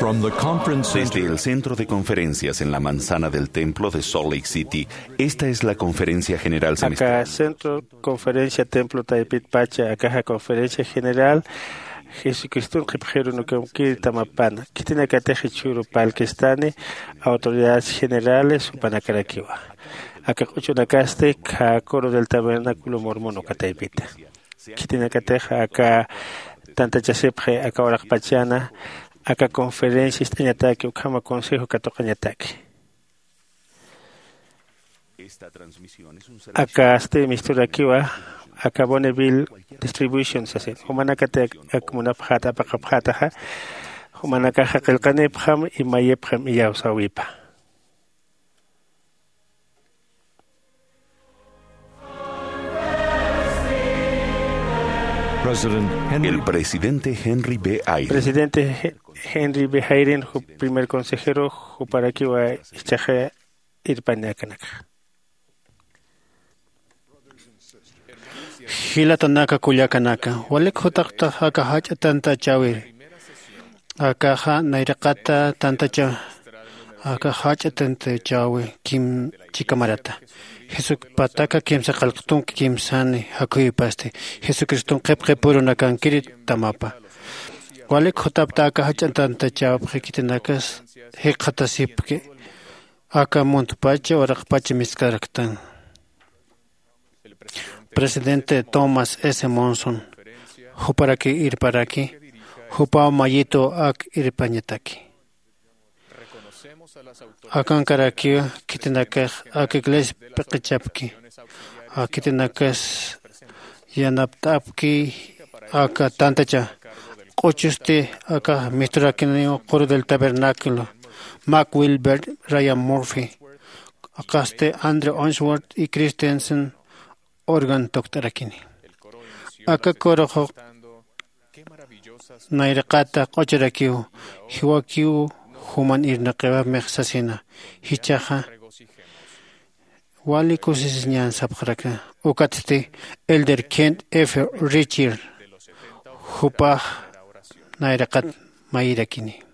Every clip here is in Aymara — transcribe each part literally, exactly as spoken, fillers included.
From the conference Desde center. El centro de conferencias en la manzana del templo de Salt Lake City, esta es la conferencia general Aka semestral. Centro Conferencia Templo Taypitpacha, akaxa Conferencia General Jesucriston qhipxirunukam kirtamapana. Khitinakatix jichhüru parlkistani autoridades generales jupanakarakiwa. Aka q'uchunakasti khä Coro del Tabernáculo Mormón uka taypita. Khitinakatix aka tantachasipxi aka uraqpachana, aka conferencia ist'añataki, ukhama consejo katuqañataki. Akasti misturakiwa, aka Bonneville Distribution sasin. Jumanakati ak munapxäta, apaqapxätaxa, jumanakaxa qillqanipxam, imayipxam, iyawsäwipa. President Henry El presidente Henry B. Eyring. Presidente He-, Henry B. Eyring, ju-, primer consejero, juparakiwa ichaxa irpañakanaka. Jilatanaka, kullakanaka, walik jutapxta aka jach'a tantachäwiri. Akaxa nayraqata tantacha, aka jach'a tantachäwi kim chikamarata. Jesucristo pataka kimsa qillqtun kimsani jakhuyipasti. Jesucriston qhipqipürunakankiri tamapa. Walik jutapxta aka jach'a tantachäwipxi, khitinakas jikxatasipki. Aka muntpacha, uraqpacha misk'araktan. Presidente Thomas S. Monson, juparaki irparaki, jupaw mayitu ak irpañataki. Akankarakiw khitinakax ak iglesia p'iqichapki, a khitinakas yanapt'apki aka tantacha. Q'uchusti aka misturakiniw Coro del Tabernáculo, Mac Wilbert, Ryan Murphy, akasti Andrew Unsworth y Christensen organ tukt'arakini. Aka coroxu nayraqata q'uchurakiw, jiwakiw juman irnaqiwapmix sasina. Jichhaxa wali kusisiñan sapxaraka. Ukatsti Elder Kent F. Richard, jupax nayraqat mayirakini.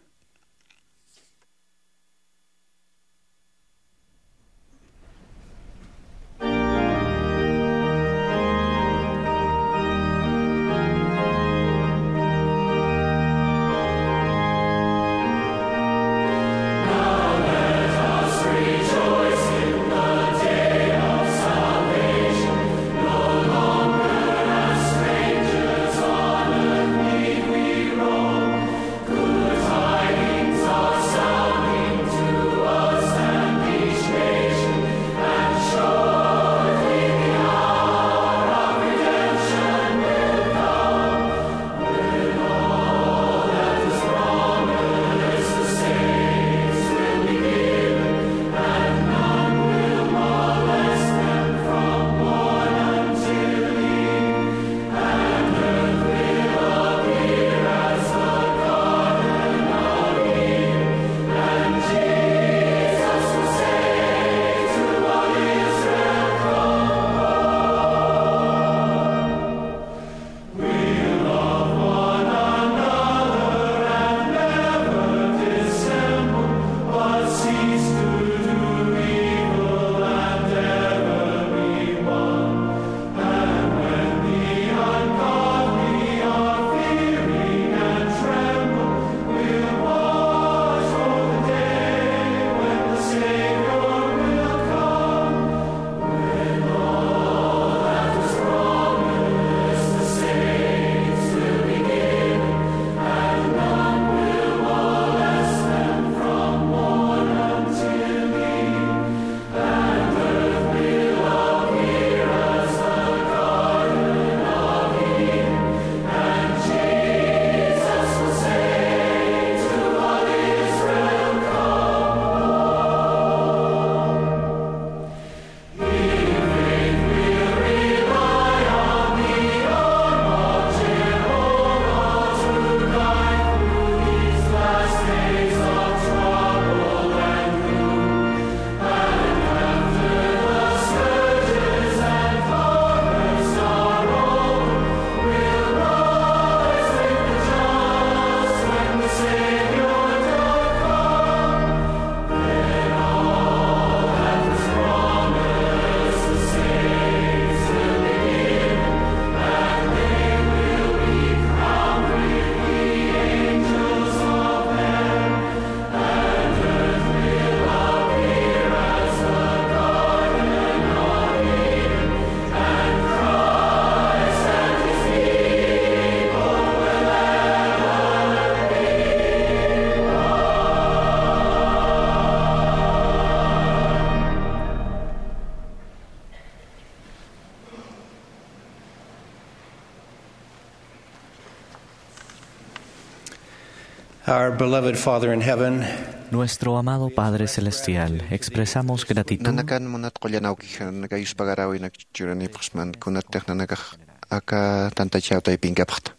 Our beloved Father in heaven, Nuestro amado Padre Celestial, expresamos gratitud. Nanakan munat qullan awkixanaka yuspagarawinaka churanipxsman kunatix nanakax aka tantachawtaypinkapxta.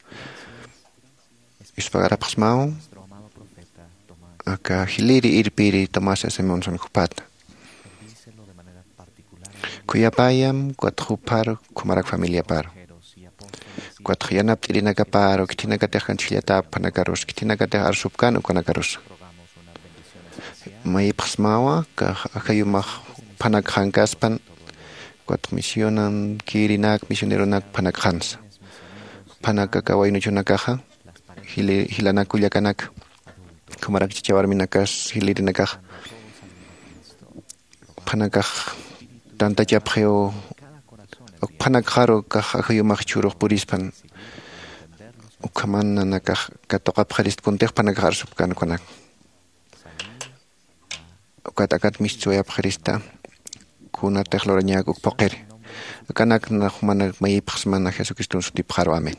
Yuspagarapxsmaw aka jiliri irpiri Tomás S. Monson jupata. Khuyapayam, ukat jupar, ukhamarak familiapar. Ukat yanapt'irinakaparu, khitinakatix kantixllata, ukhanakarus, khitinakatix arsupkan, ukhanakarus. Mayipxsmawa, ka ajayumax phanakxankaspan, ukat misionan kirinak, misioneronak phanakxansa. Phanaka kawaynuchunakaxa, jili-, jilanakullakanaka. Ukhamarak chicha warminakas, jilirinakaxa. Phanakax tantachapxiw, phanakxaru kax ajayumax chhurux purispan, ukhaman nanakax katuqapxarist kuntix phanakax arsupkan ukanak. Ukat akat mistsuwayapxarista, kunatix lurañak uk phuqiri. Akanak nax jumanak mayipxsmana Jesucriston sutipxaru. Amén.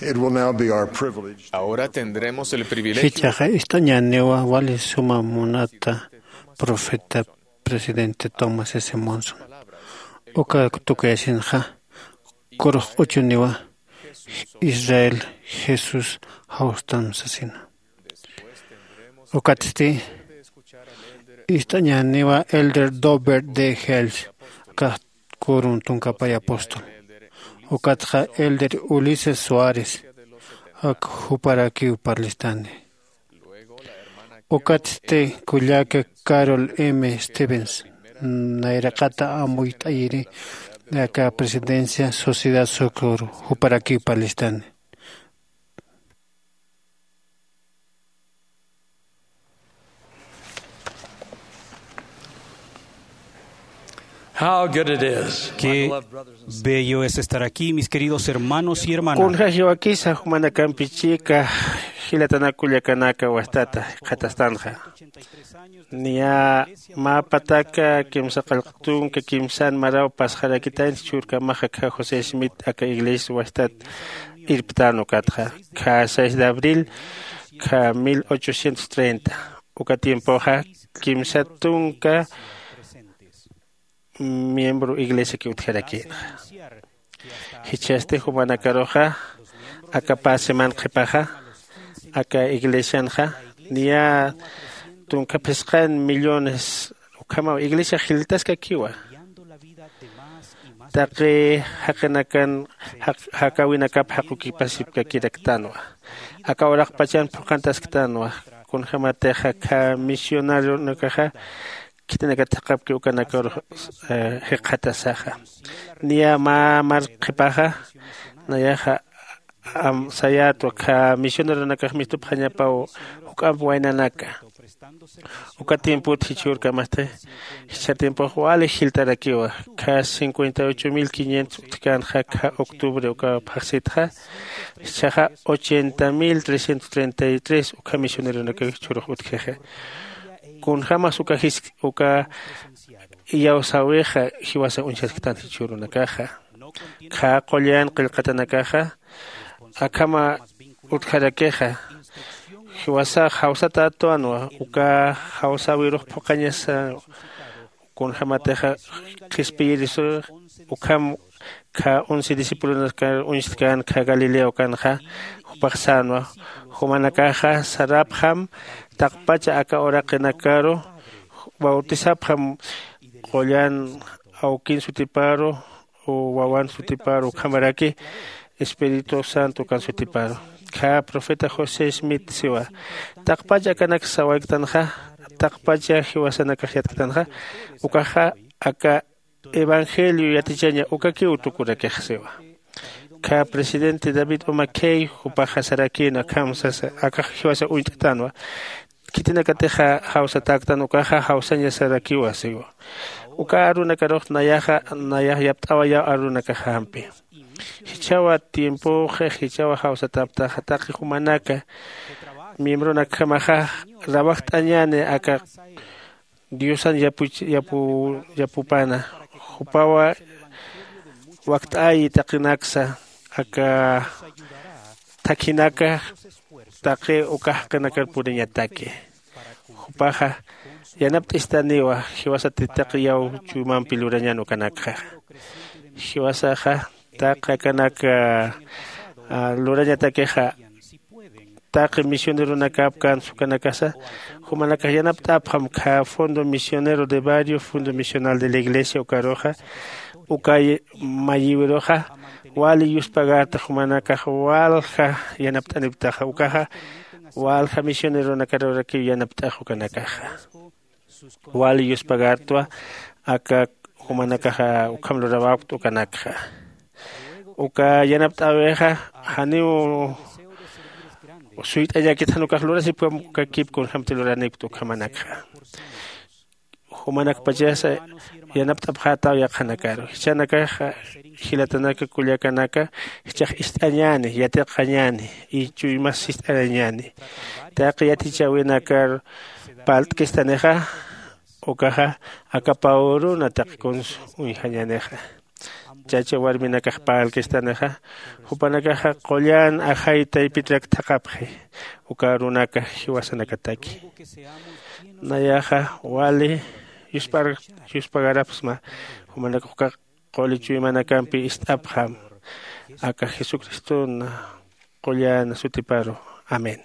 It will now be our privilege. Ahora tendremos el privilegio. Jichhaxa ist'añäniwa wali suma munata profeta presidente Thomas S. Monson. Uka tukuyasinxa, kurux q'uchuniwa Israel Jesús jawstan sasina. Ukatsti ist'añäniwa Elder Dobert D. Hales, kax Kurum Tunkapay apóstol. Ukatxa Elder Ulises Suárez, ak juparakiw parlistani. Ukatsti kullaka Carol M. Stevens, nayraqata amuyt'ayiri aka presidencia Sociedad Socorro, juparakiw parlistani. How good it is, my Qué beloved brothers and sisters, bello es estar aquí, mis queridos hermanos y hermanas. Kunja jiwakisa jumanakampi chika jilatanakullakanaka wastata qhatastanxa. Niya mä pataka kimsa qallq tunka kimsan maraw pasxarakitañ churkamaxa kha José Smith aka iglesia wastat irptan ukatxa. Kha seis de abril, kha mil ochocientos treinta. Uka tiempoxa kimsa tunka miembro iglesiaki utjarakïnxa. Jichhasti jumanakaruxa, aka pä seman qhipaxa, aka iglesianxa, niya tunka phisqan millones ukhamaw iglesia jiltaskakiwa. Taqi jaqinakan jaq-, jakawinakap jaqukipasipkakiraktanwa. Aka uraqpachan phuqantasktanwa. Kunjämatixa kha misionarionakaxa, khitinakatix jaqapki ukanakaru, eh, jikxatasaxa. Niya mä mar qhipaxa, nayaxa, am, sayätwa kha misioneronakax mistupxañapaw juk'amp waynanaka. Uka tiempot jichhürkamasti, jichha tiempox wali jiltarakiwa, kha cincuenta y ocho mil quinientos utjkänxa kha octubre uka phaxsitxa, jichhaxa ochenta mil trescientos treinta y tres ukha misioneronakax jichhürux utjkixa. Kunjämas uka jis-, uka iyawsäwixa jiwasa uñjasktan jichhürunakaxa. Kha qullan qillqatanakaxa, akhama utjarakixa, jiwasax jawsatätwanwa, uka jawsäwirux phuqhañasa, kunjämatixa qhispiyirisux, ukham kha once discipulonakar uñstkän kha Galilea ukanxa, jupax sänwa, jumanakaxa sarapxam taqpacha aka uraqinakaru, bautisapxam qullan awkin sutiparu, wawan sutiparu, ukhamaraki Espíritu Santo ukan sutiparu. Kha profeta José Smith siwa, taqpacha akanak sawayktanxa, taqpacha jiwasanakax yatktanxa, ukaxa aka evangelio yatichaña ukakiw tukurakix siwa. Kha presidente David O. McKay jupaxa sarakïna akham sasa, akax jiwasa uñt'tanwa. Khitinakatixa jawsatäktan ukaxa jawsañasarakiwa siwa. Uka arunakarux nayaxa, nayax yapt'awayaw arunakaxampi. Jichhawa tiempoxa, jichhawa jawsatäptaxa taqi jumanaka, miembronakjamaxa, rawajt'añäni aka Diosan yapuch-, yapu-, yapupana, Jupawa wakt'ayi taqinaksa aka thakhinaka taqi uka jaqinakar puriñataki. Jupaxa yanapt'istaniwa jiwasati taqi yaw chuymampi lurañan ukanakxa. Jiwasaxa taqi akanak lurañatakixa taqi misioneronakap kans ukanakasa jumanakax yanapt'apxam kha Fondo Misionero de Barrio, Fondo Misional de la Iglesia ukaruxa uka mayiwiruxa wali yuspagarta jumanakax walja yanapt'aniptaxa ukaxa walja misioneronakarakiw yanapt'ax ukanakaxa wali yuspagartwa aka jumanakaxa ukham lurawakta ukanakxa. Uka yanapt'äwixa janiw suyt'añakit jan ukax lurasipkam uka kip kunjämti luranipkta ukhamanakxa. Jumanakpachasa yanapt'apxätaw yaqhanakaru jichhanakaxa jilatanaka kullakanaka jichhax ist'añäni yatiqañäni y chuymas sist'arañäni taqi yatichäwinakar parlt'kistanixa ukaxa aka pawruna taqi kuns uñjañänixa. Chacha warminakax parlkistanixa jupanakaxa qullan ajay taypitrak thaqhapxi uka arunaka jiwasanakataki. Nayaxa wali yuspagarapxsma jumanakax uka quli chuymanakampi ist'apxam aka jesucristona qullan sutiparu. Amén.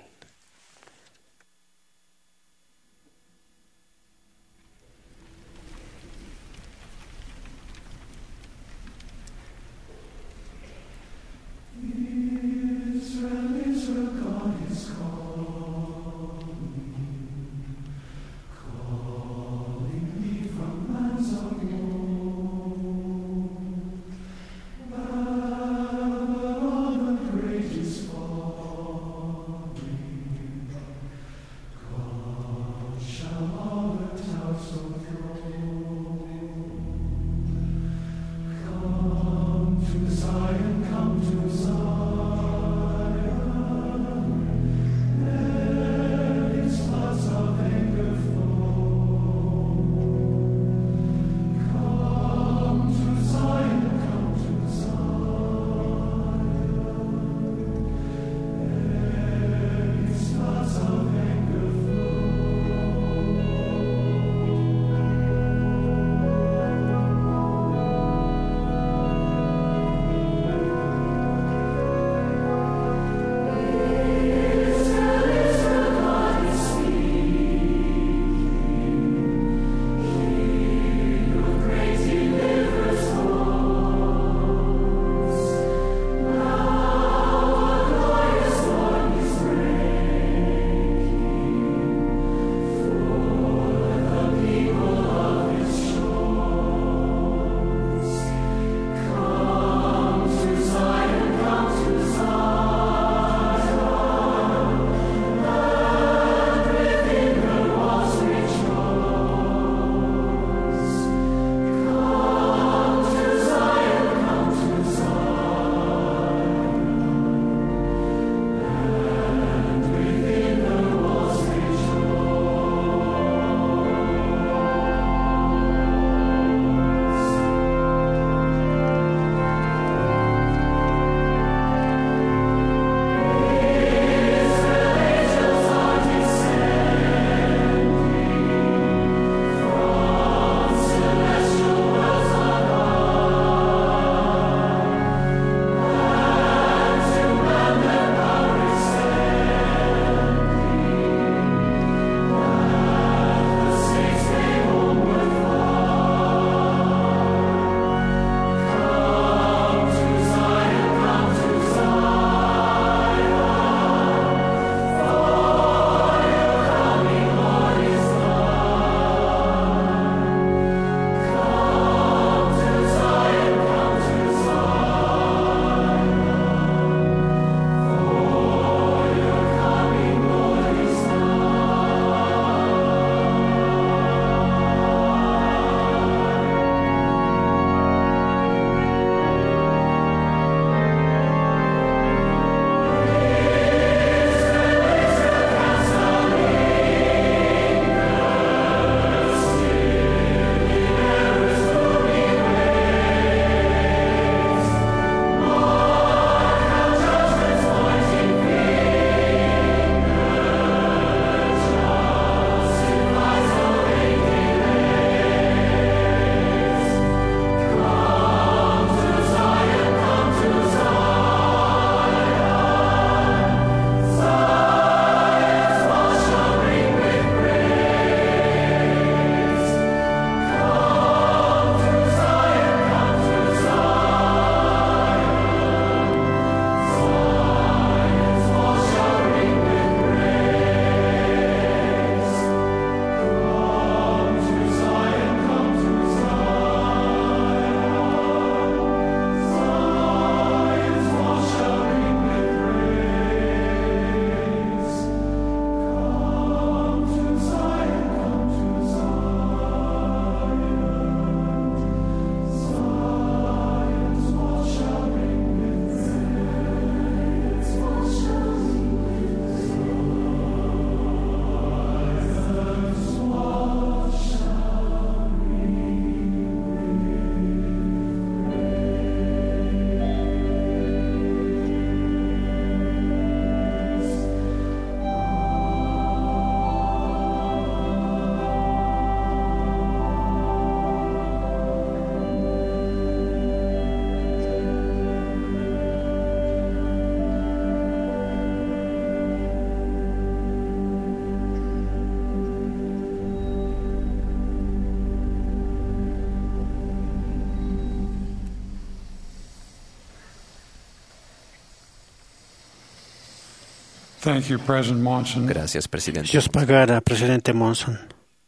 Thank you, President Monson. Gracias, presidente. Dios pagara, presidente Monson.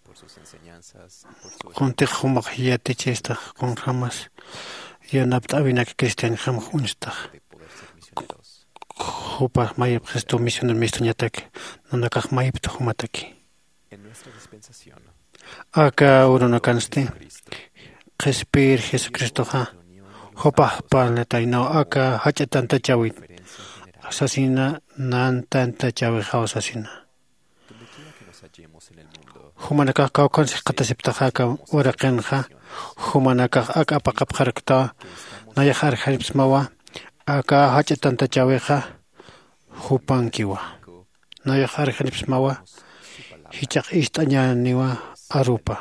Por sus enseñanzas y por su kuntix jumax yatichistax kunjamas yanapt'awinak cristianjamax uñstax. De poder ser misioneros. Jupax mayipxistu misioner mistuñatak nanakax mayipta jumataki. En nuestra dispensación, aka urunakansti qhispir jesucristoxa jupax parlataynaw aka jach'a tantachäwit sasina nan tantachäwixaw sasina. Jumanakax kawkhansa jikxatasiptaxa aka uraqinxa jumanakax ak apaqapxaraktawa. Nayax arjaripsmawa aka jach'a tantachäwixa jupankiwa. Nayax arjaripsmawa jichhax ist'añäniwa arupa.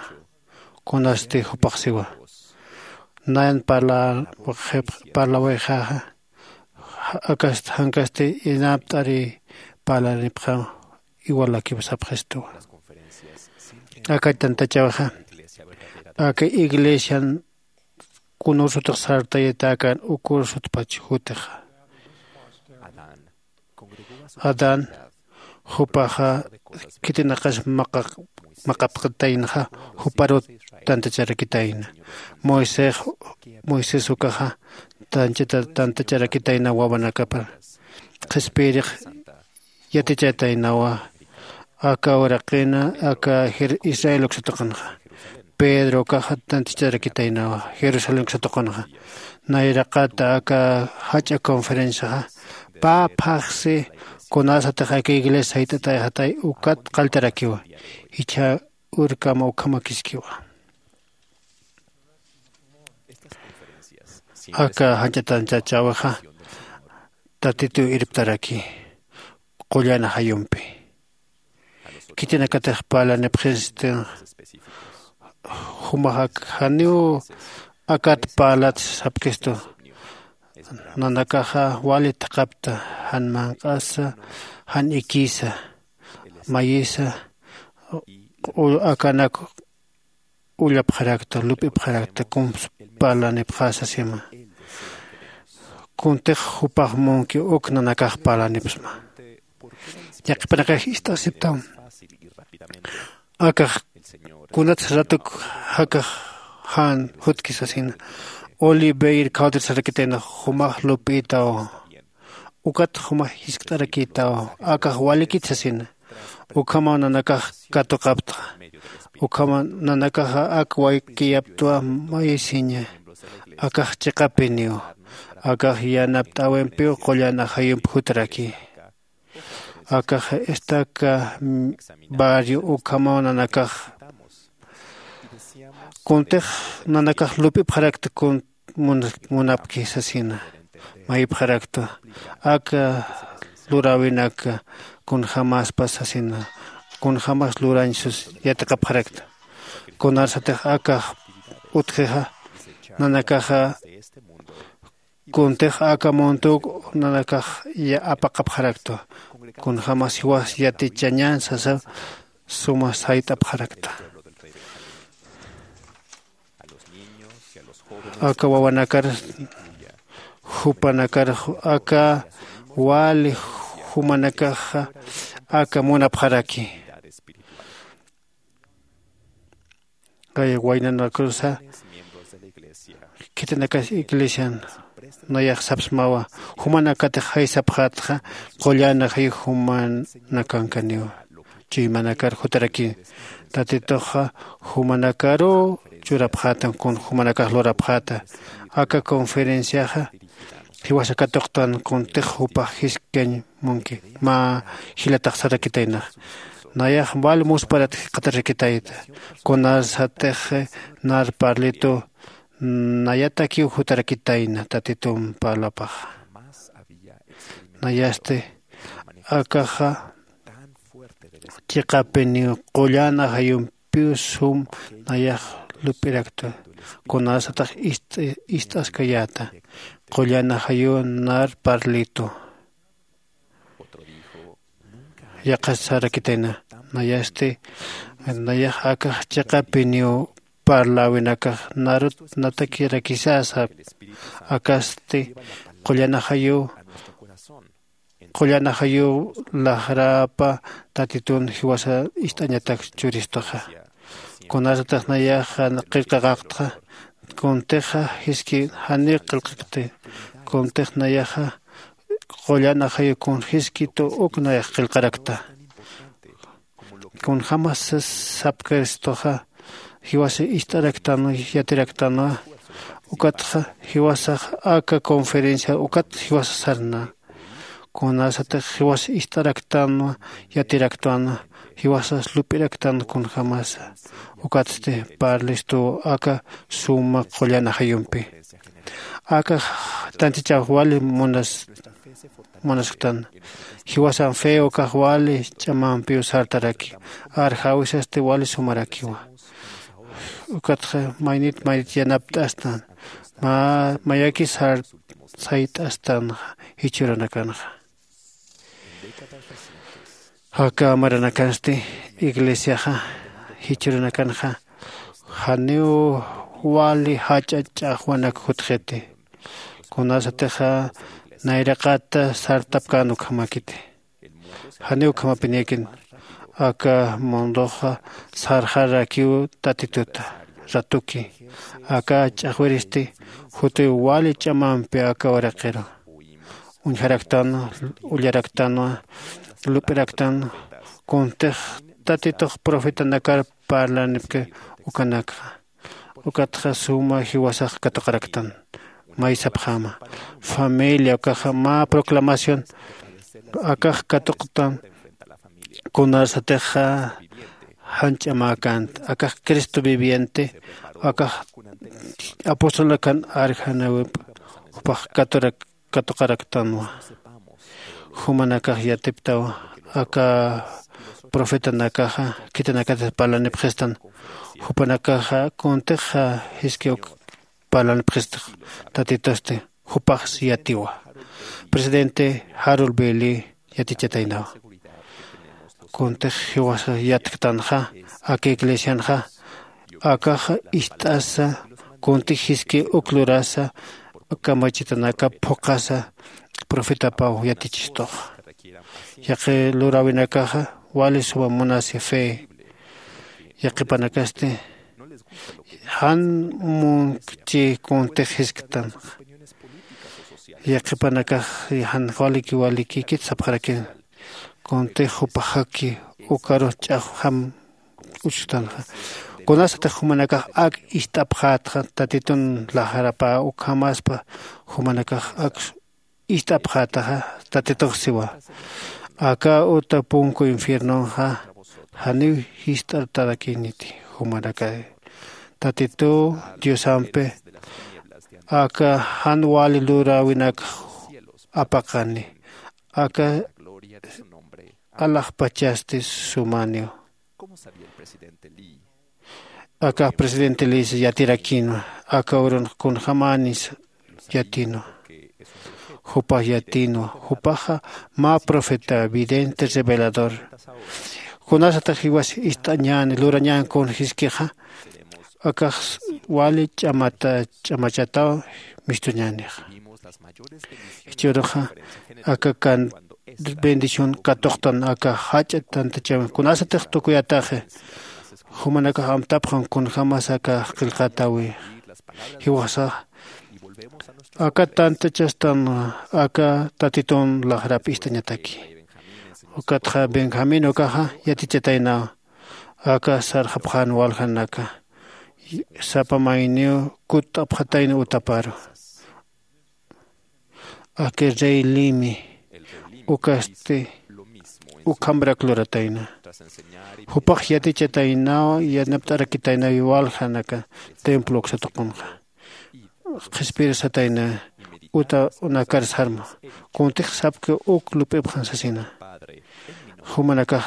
Kunasti jupax siwa nan parlawixaxa akast jankasti inapt'ari parlanipxaw. Iwalakiw sapxistuwa aka tantachäwixa aka iglesian kunursutix sartayatakan ukursutpach jutixa. Adán jupaxa khitinaqas maqapxataynaxa juparut tantacharakitayna. Moisés moisés ukaxa tanchata tantacharakitayna wawanakapar qhispirix yatichataynawa. Aka uraqina aka israel uksatuqanxa pedro ukaxa tantacharakitaynawa jerusalén uksatuqanxa. Nayraqata aka jach'a conferenciaxa pä phaxsi kunasatix aka iglesia sayt'atayxatay ukat qalltarakiwa. Jichha urkama ukhamakiskiwa. Aka jach'a tantachäwixa tatituw irptaraki qullan ajayumpi. Khitinakatix parlanipxistin jumax ak janiw akat parlat sapkistu. Nanakaxa wali thaqhapta jan manq'asa jan ikisa mayisa akanak ullapxarakta lup'ipxarakta kumps parlanipxasa sima. Kuntix jupax munki uk nanakax parlanipsma. Yaqhipanakax ist'asiptam akax kunats ratuk jakax jan jutkisasina oliveir khawtir sarakitayna jumax lup'itaw. Ukat jumax jiskt'arakïtaw akax walikit sasina. Ukhamaw nanakax katuqaptxa ukhamaw nanakaxa ak waykiyaptwa mayisiña. Akax chiqapiniw akax yanapt'äwimpiw qullan ajayump jutaraki. Akax estaca barrio ukhamaw nanakax kuntix nanakax lup'ipxarakta kun munapki sasina. Mayipxarakta aka luräwinaka kunjämaspa sasina kunjämas lurañ sus yatiqapxarakta. Kunarsatix akax utjixa nanakaxa kuntix aka muntuw nanakax apaqapxarakta. Kunjämas jiwas yatichañän sasa suma sayt'apxarakta. Aka wawanakar jupanakar aka wali jumanakaxa aka munapxaraki. Qaya waynanakurusa khitinakas iglesian nayax sapsmawa jumanakatix jaysapxätxa qullan ajayu jumanakankaniwa. Chuymanakar jutarakiw tatituxa jumanakaruw churapxäta kun jumanakax lurapxäta. Aka conferenciaxa jiwasa katuqtan kuntix jupax jiskañ munki mä jilatax sarakitaynax. Nayax wal musparat jikxatarakitayta kunarsatix nar parlitu nayatakiw jutarakitayna tatitump parlapaxa. Nayasti akaxa chiqapiniw qullan ajayumpiw sum nayax lup'irakta. Kunasatix ist'askayäta qullan ajayuw nar parlitu. Yaqha sarakitayna nayasti nayax akax chiqapiniw parläwinakax narut natakirakisasa. Akasti qullan ajayuw Qullan ajayuw laxrapa tatitun jiwasa ist'añatak churistuxa. Kunasatix nayaxa qillqaqaqtxa, kuntixa jiski janiw qillqakti. Kuntix nayaxa qullan ajayuw kun jiski tu uk nayax qillqarakta. Kunjämas sapkiristuxa jiwasa ist'araktanwa, yatiraktanwa. Ukatxa jiwasax aka conferencia ukat jiwasa sarna. Kunasatix jiwasa ist'araktanwa, yatiraktanwa, jiwasas lup'iraktanwa kunjämasa. Ukatsti parlistuw aka suma qullan ajayumpi. Aka tantichaw wali munas munasktan. Jiwasan fe ukax wali ch'amampiw sartaraki. Arjawisasti wali sumarakiwa. Ukatxa maynit maynit yanapt'astan. Mä mayaki sar sayt'astan jichhürunakanxa. Aka maranakansti iglesiaxa jichhürunakanxa janiw wali jach'a ch'axwanak jutxiti. Kunasatixa nayraqata sartapkän ukhamakiti. Janiw ukhamapiniyakin. Aka munduxa sarxarakiw tatituta ratuki. Aka ch'axwiristi jutiw wali ch'amampi aka uraqiru uñjaraktanwa, ullaraktanwa, lup'iraktanwa. Kuntix tatitux profetanakar parlanipki ukanakxa. Ukatxa suma jiwasax katuqaraktan. Maysapxäma familia ukaxa mä proclamación akax katuqtan. Kunasatixa jan ch'amäkänti akax cristo viviente akax apostol akan arjanawip jupax katurak katuqaraktanwa. Jumanakax yatiptaw aka profetanakaxa khitinakatas parlanipxistan. Jupanakaxa kuntix jiskiw parlanipxistix tatitusti jupax yatiwa. Presidente jarol beli yatichataynawa. Kuntix jiwasa yatktanxa aka iglesianxa akaxa ist'asa kuntix jiski uk lurasa kamachitanakap phuqhasa profetapaw yatichistuxa. Yaqi luräwinakaxa wali suma munasi fe. Yaqipanakasti jan munkchi kuntix jisktanxa. Yaqipanakax jan waliki walikikit sapxarakin. Kuntix jupaxaki ukarux ch'axwjam uchustanxa. Kunasatix jumanakax ak ist'apxätxa tatitun laxarapä ukhamaspa jumanakax ak ist'apxätaxa tatitux siwa. Aka uta punku infiernonxa janiw jist'artarakiniti jumanakay. Tatituw diosampi aka jan wali luräwinakx apaqani. Aka alaxpachasti sumaniw. Akax presidente lis yatirakinwa. Aka urunx kunjämänis yatinwa. Jupax yatinwa. Jupaxa mä profeta vidente revelador. Kunasatax jiwas ist'añäni lurañän kun jiskixa akax wali ch'amata ch'amachataw mistuñänixa. Jichhüruxa aka kan bendición katuqtan aka jach'a tantachäwin kunasatix tukuyataxi. Jumanakax amtapxan kunjämas aka qillqatäwi. Jiwasax aka tantachastan aka tatitun laxrap ist'añataki. Ukatxa benjamín ukaxa yatichataynaw aka sarxapxän waljanaka sapa mayniw kutt'apxatayna utaparu. Aka rey limi ukasti ukhamarak luratayna. Jupax yatichataynaw yanapt'arakitaynaw waljanaka templo uksa tuqunxa. Qhispiyir satayna uta unakar sarma kuntix sapki uk lup'ipxan sasina. Jumanakax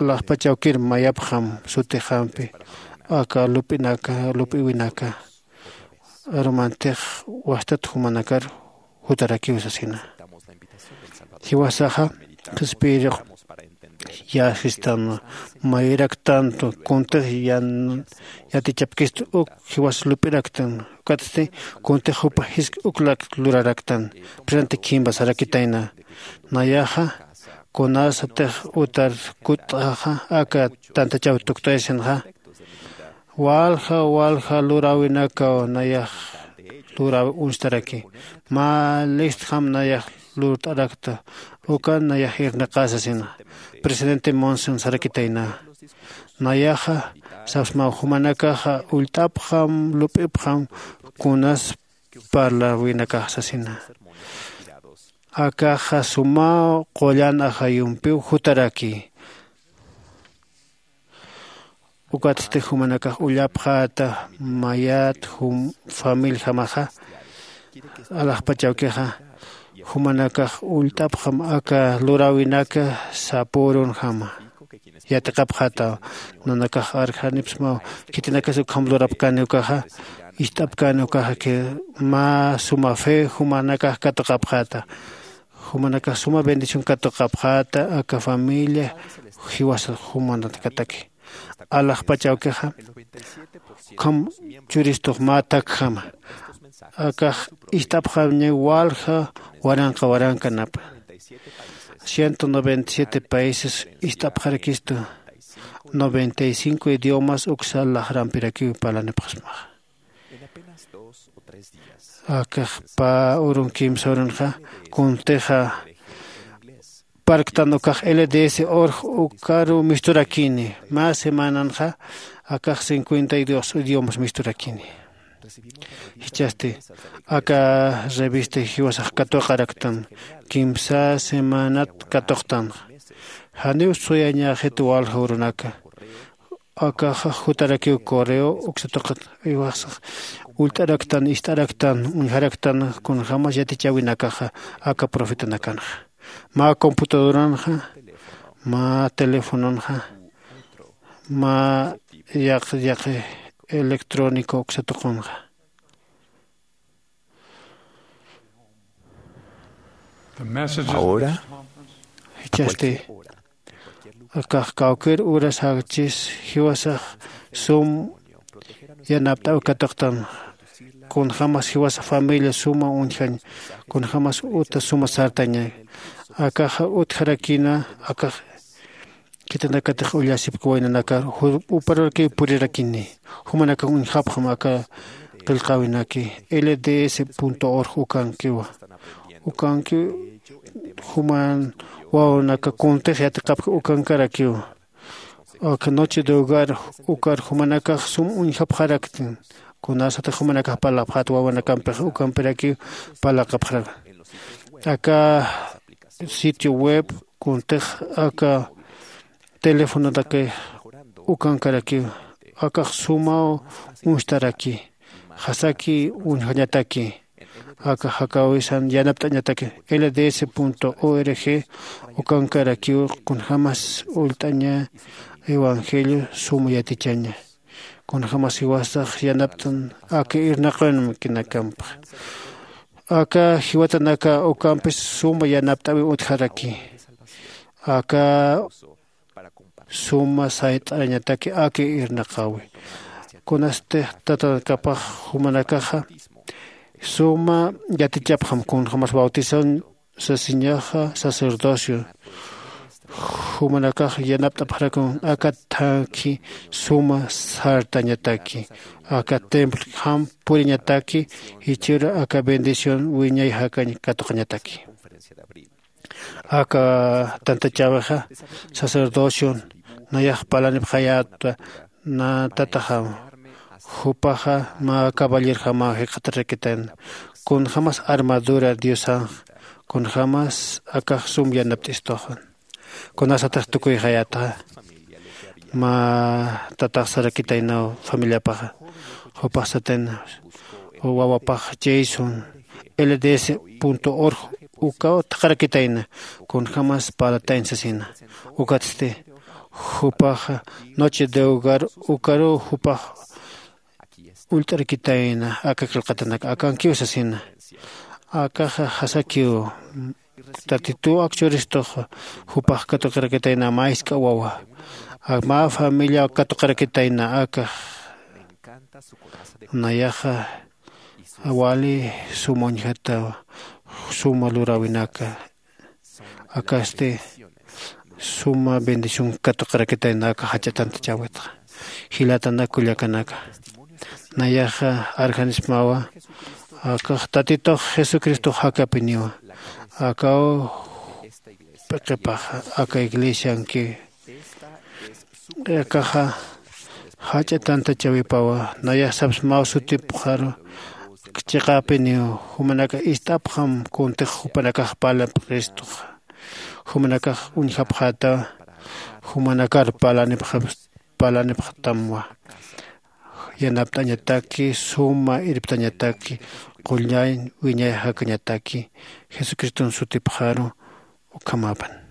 alaxpachawkir mayapxam sutixampi aka lup'inaka lup'iwinaka arumantix wastat jumanakar jutarakiw sasina. Jiwasaxa qhispiyirux yäsistan. Mayiraktantu kuntix yan yatichapkistu uk jiwas lup'iraktan. Ukatsti kuntix jupa jisk uklak luraraktan. Presente khimba sarakitayna. Nayaxa kunasatix utar kutt'axa aka tantachaw tuktayasinxa, walja walja luräwinakaw nayax luräwi uñstaraki. Mä listjam nayax lurt'arakta. Ukan nayax irnaqä sasina. Presidente Monson sarakitayna. Nayaxa sapsmaw jumanakaxa ullt'apxam lup'ipxam kunas parläwinakax sasina. Akaxa sumaw qullan ajayumpiw jutaraki. Ukatsti jumanakax ullapxäta mayat jum familjamaxa alaxpachawkixa jumanakax ullt'apxam aka luräwinaka sapürunjama. Yatiqapxätaw nanakax arjanipsmaw khitinakas ukham lurapkani ukaxa ist'apkani ukaxa que mä suma fe jumanakax katuqapxäta. Jumanakax suma bendición katuqapxäta aka familia jiwasa jumanakataki alaxpachawkixa ukham churistux mä takjama. Akax ist'apxamña walja waranqa warankanapa. Ciento noventa y siete países ist'apxarakistu. Noventa y cinco idiomas uksa laxrampirakiw parlanipxasmaxa. Akax pä urun kimsa urunxa kuntixa parktan ukax lds org ukaru misturakini. Mä semananxa akax cincuenta y dos idiomas misturakini. Jichhasti aka revista jiwasax katuqaraktan kimsa semanat katuqtanxa. Janiw suyañäxit walja urunaka. Akaxa jutarakiw correo uksa tuqit iwasax ullt'araktan ist'araktan uñjaraktan kunjämas yatichäwinakaxa aka profetanakanxa mä computadoranxa mä telefononxa mä yaq yaqi electrónico uksa tuqunxa. Ahora, jichhasti akax kawkir uras jakchis jiwasax sum yanapt'aw katuqtan. Kunjämas jiwasa familia suma uñjañ kunjämas uta suma sartaña. Akaxa utjarakina akax khitinakatix ullasipki waynanakar uparurakiw purirakini. Jumanakax uñjapxam aka qillqäwinaki lds org ukankiwa. Ukankiw juman wawanaka kuntix yatiqapki ukankarakiw. Aka noche de hogar ukar jumanakax sum uñjapxaraktin. Kunasatix jumanakax parlapxät wawanakampix ukampirakiw parlaqapxarak. Aka sitio web kuntix aka telefonotaki ukankarakiw. Akax sumaw uñstaraki jasaki uñjañataki. Aka jakawisan yanapt'añataki lds org ukankarakiw kunjämas ullt'aña evangelio suma yatichaña. Kunjämas jiwasax yanapt'an aka irnaqawinkinakampa. Aka jiwatanaka ukampis suma yanapt'äwi utjaraki. Aka suma sayt'arañataki aka irnaqäwi. Kunasti tatanakapax jumanakaxa suma yatichapxam kunjämas bautización sasiñaxa sacerdocio. Jumanakax yanapt'apxarakun aka thakhi suma sartañataki aka templojam puriñataki jichhüru aka bendición wiñay jakañ katuqañataki. Aka tantachäwixa sacerdocion nayax parlanipxayäta. Nä tataxam jupaxa mä caballerjamaw jikxatarakitayna. Kunjämas armadura diosanx kunjämas akax sum yanapt'istuxan. Kunasatix tukuyxayätaxa mä tatax sarakitaynaw familiapaxa. Jupax satayna wawapax jason lds org ukaw thaqharakitayna kunjämas parlatayn sasina. Ukatsti jupaxa noche de hogar ukaruw jupax ullt'arakitayna aka qillqatanak akankiw sasina. Akaxa jasakiw Tatituw akchuristux jupax katuqirakitayna mä jisk'a wawa, mä familiaw katuqirakitayna. Akax nayaxa wali suma uñjatawa, suma luräwinaka. Akasti suma bendición katuqirakitayna aka jach'a tantachäwitxa. Jilatanak kullakanaka, nayaxa arjanismawa. Akax tatitux jesucristox jakapiniwa. Akaw p'iqipaxa aka iglesianki. Akaxa jach'a tantachäwipawa. Nayax sapsmaw sutipxaru chiqäpiniw. Jumanakax ist'apxam kuntix jupanakax parlapxistux. Jumanakax uñjapxätawa. Jumanakar parlanipxapxtamwa. Yanapt'añataki, suma irptañataki, qullañ wiñay jakañataki. Jesucriston sutipxaru. Ukhamapan.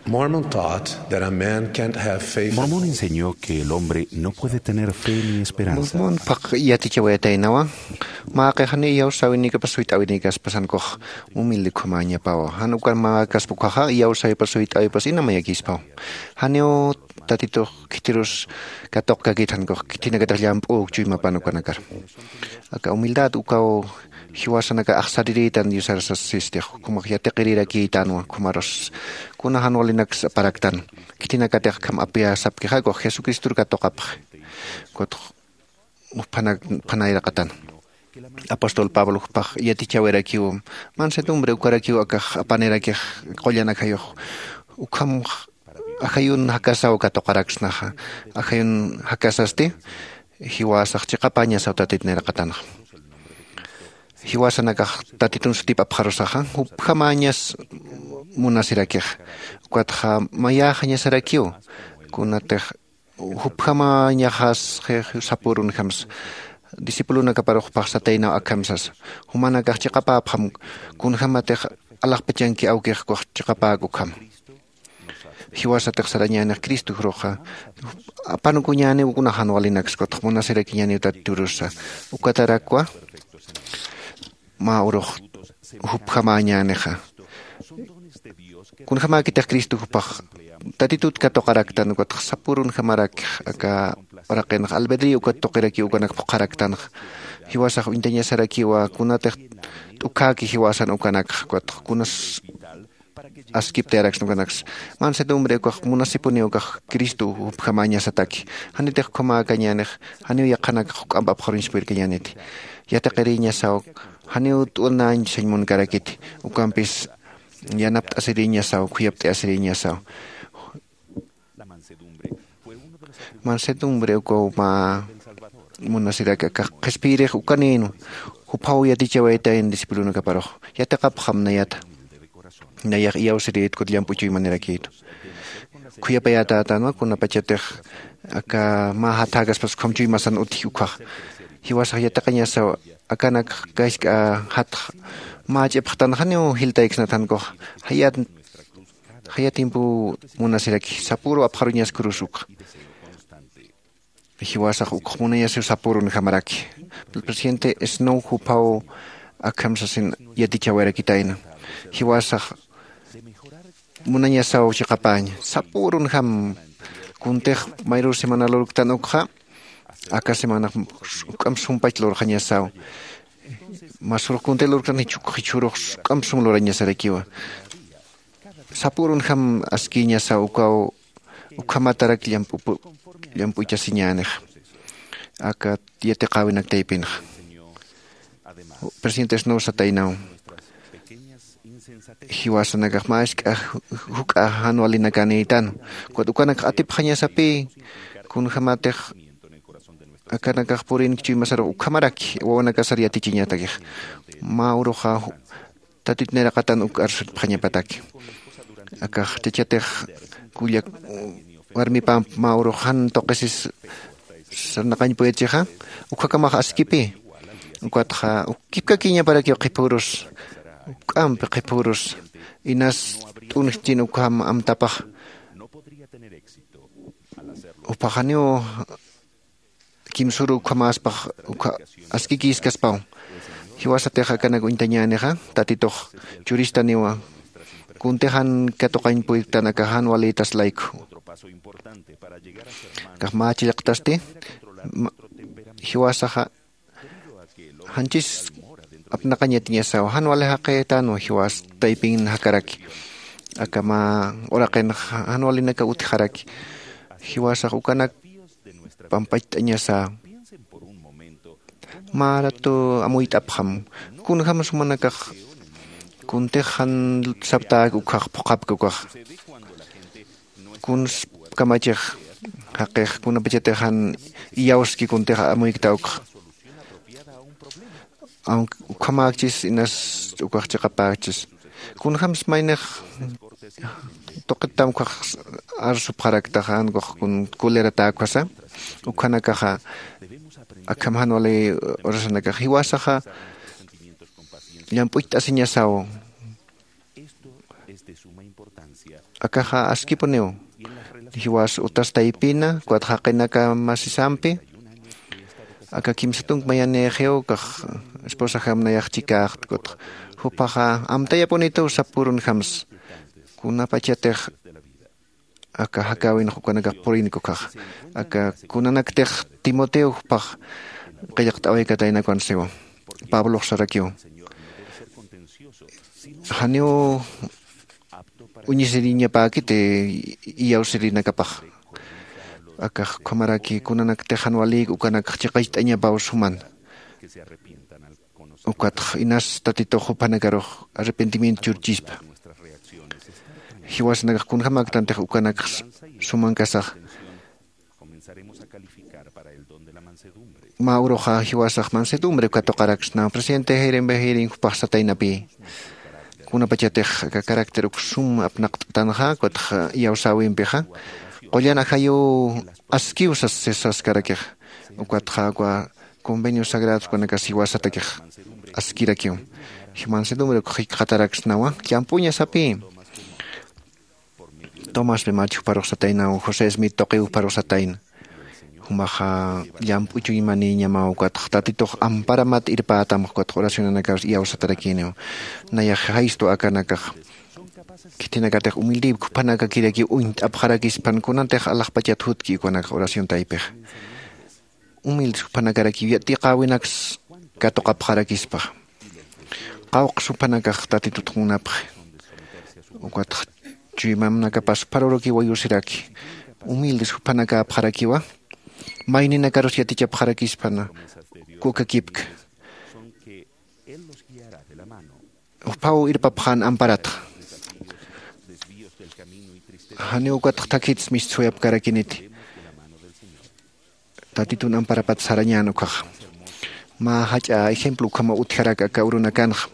Mormon taught that a man can't have faith. Mormón enseñó que el hombre no puede tener fe ni esperanza. Mormon paq yatichawayataynawa. Mä qixani iyawsäwinikapas suyt'äwinikaspasankux humilde ukhamañapawa. Jan ukan mä kaspa ukhaxa iyawsäwipas suyt'äwipas ina mayakispaw. Janiw tatitux khitirus katuqkakit, jankux khitinakatix llamp'u chuymapan ukanakar. Aka humildad ukaw jiwasanaka axsarirïtan diosar sasistix, ukhamax yatiqirirakïtanwa. Ukhamarus kuna jan walinaks aparaktan. Khitinakatix akham apiyasapkixa ukax jesucristor katuqapxi. Ukatx juphanaka phanayraqatan. Apóstol pablo jupax yatichawirakiw, mansedumbre ukarakiw akax apanirakix qullan ajayux. Ukham ajayun jakasaw katuqaraksnaxa. Ajayun jakasasti jiwasax chiqapäñasaw tatit nayraqatanxa. Jiwasanakax tatitun sutip apxarusaxa jupjamäñas munasirakixa. Ukatxa mayäxañasarakiw kunatix jupjamäñaxas sapürunjamsa. Discipulonakaparux jupax sataynaw akham sasa, jumanakax chiqapäpxam kunjämatix alaxpachanki awkix ukax chiqapäk ukham. Jiwasatix sarañänix cristo juruxa apanukuñäniw kuna jan walinaksa ukatx munasirakiñäniw tatiturusa. Ukatarakwa mä urux jupjamäñänixa. Kunjämäkitix cristo jupax tatitut katuqaraktan ukatx sapürunjamarakix aka uraqinxa albedrío ukat tuqirakiw ukanak phuqharaktanxa. Jiwasax uñtañasarakiwa kunatix t'ukhäki jiwasan ukanakxa ukatx kunas askiptayaraksna ukanaksa. Mansedumbre ukax munasipuniw ukax cristo jupjamäñasataki. Janitix ukhamäkañänix janiw yaqhanakax juk'amp apxaruñsa puyirkañäniti. Yatiqirïñasaw janiw t'unañ sañ munkarakiti. Ukampis yanapt'asirïñasaw khuyapt'ayasirïñasaw. Mansedumbre ukaw mä munasiraki akax qhispiyirix ukanïnwa. Juphaw yatichawaytayna discipulonakaparux yatiqapxam nayata. Nayax iyawsirïtku llamp'u chuymanirakitu. Khuyapayätätänwa kunapachatix aka mä jathäkaspas ukham chuymasan utji ukhax. Jiwasax yatiqañasaw akanak kask'a jatx mä ch'ipxtan janiw jiltayksnathankuxa. Jayat jaya tiempo munasiraki sapüru apxaruñaskurus ukxa. Jiwasax ukx munañasiw sapürunjamaraki. Presidente snow juphaw akham sasin yatichawarakitayna. Jiwasax munañasaw chiqapäña sapürunjam. Kuntix mayrur semana lurktan ukxa aka semanax juk'amp sumpach lurxañasaw. Masürux kuntix lurktan jichhurux juk'amp sum lurañasarakiwa. Sapürunjam askïñasaw ukaw ukhamatarak llamp'uchasiñänixa. Aka yatiqäwinak taypinxa presidente snow sataynaw. Jiwasanakax mä isk'a juk'a jan walinakanïtan. Ukat ukanakax atipxañasapï kunjämatix akanakax purinki chuymasarux ukhamaraki wawanakasar yatichiñatakix. Mä uruxa tatit nayraqatan uk arsutpxañapataki. Akax chachatix kullak warmipamp mä urux jan tuqisis sarnaqañ puyachixa ukhakamax askipï. Ukatxa uk kipkakiñaparakiw qhipürus Juk'ampi qhiphürus inas t'unjchin ukham amtapax. Jupaxaniw kimsuru ukhamäspax ukha askikïskaspaw. Jiwasatix akanak uñtañänixa tatitux churistaniwa. Kuntixan katuqañ puytan akax jan walïtas layku. Akax mä chillqtasti jiwasaxa janchis apnaqañ yatiñasaw jan wali jaqïtänwa jiwas taypin jakaraki. Aka mä uraqin jan walinaka utjaraki. Jiwasax ukanak pampacht'añasa. Mä ratu amuyt'apxam kunjämsa jumanakax kuntix jan saptäk ukhax phuqhapki ukax. Kuns kamachix jaqix kunapachatix jan iyawski kuntix amuykta ukxa. Aunque ukhamäkchis inas ukax chiqapäkchis kunjämsa maynix tuqittam ukhax arsupxaraktaxa ankux kun kuliratäkwasa. Ukhanakaxa akham jan wali urasanakax jiwasaxa llamp'ucht'asiñasaw. Akaxa askipuniw jiwas utas taypina ukat jaqinaka masisampi. Aka kimsa tunk mayanïxiw ukax esposajam nayax chikäxt ukatxa jupaxa amtayapunituw sap purunjamsa. Kunapachatix aka jakäwinx ukanakax purinki ukhaxa aka kunanaktix timoteo jupax qillqt'awaykataynakuwan siwa. Pablox sarakiw janiw uñisiriñapäkiti iyawsirinakapax. Akax ukhamaraki kunanaktix jan walïk ukanakx chiqacht'añapaw suman. Ukatx inas tatitux juphanakarux arrepentimiento churchispa. Jiwasanakax kunjämäktantix ukanakx sumankasax. Mä uruxa jiwasax mansedumbre katuqaraksnaw presidente jayrimpi jayrin jupax sataynapï. Kunapachatix aka carácter uk sum apnaqt'tanxa ukatx iyawsäwimpixa qullan ajayuw askiw sas saskarakix. Ukatxa uka convenios sagrados ukanakas jiwasatakix askirakiw. Mansedumbre uk jikxataraksnawa llamp'uñasapï. Tomaspi machixparux sataynaw josé smit tuqiwparux satayna. Jumaxa llamp'uchuñmanïñamaw ukatx tatitux amparamat irpätam ukatx oracionanakarus iyawsatarakïniw. Nayax jaystu akanakax khitinakatix humildïpki juphanakakirakiw uñt'apxarakispan kunantix alaxpachat jutki ukanakax oración taypixa. Humildes juphanakarakiw yatiqäwinaks katuqapxarakispa. Qawqs juphanakax tatitut munapxi. Ukatx chuymanakapas pharurukiw wayusiraki. Humildes juphanakäpxarakiwa. Mayninakarus yatichapxarakispan kukakipka. Juphaw irpapxän amparatxa. Janiw ukatx thakhits mistsuwayapkarakiniti. Tatitun amparapat sarañän ukhaxa. Mä jach'a ejemplo ukhamaw utjarak aka urunakanxa.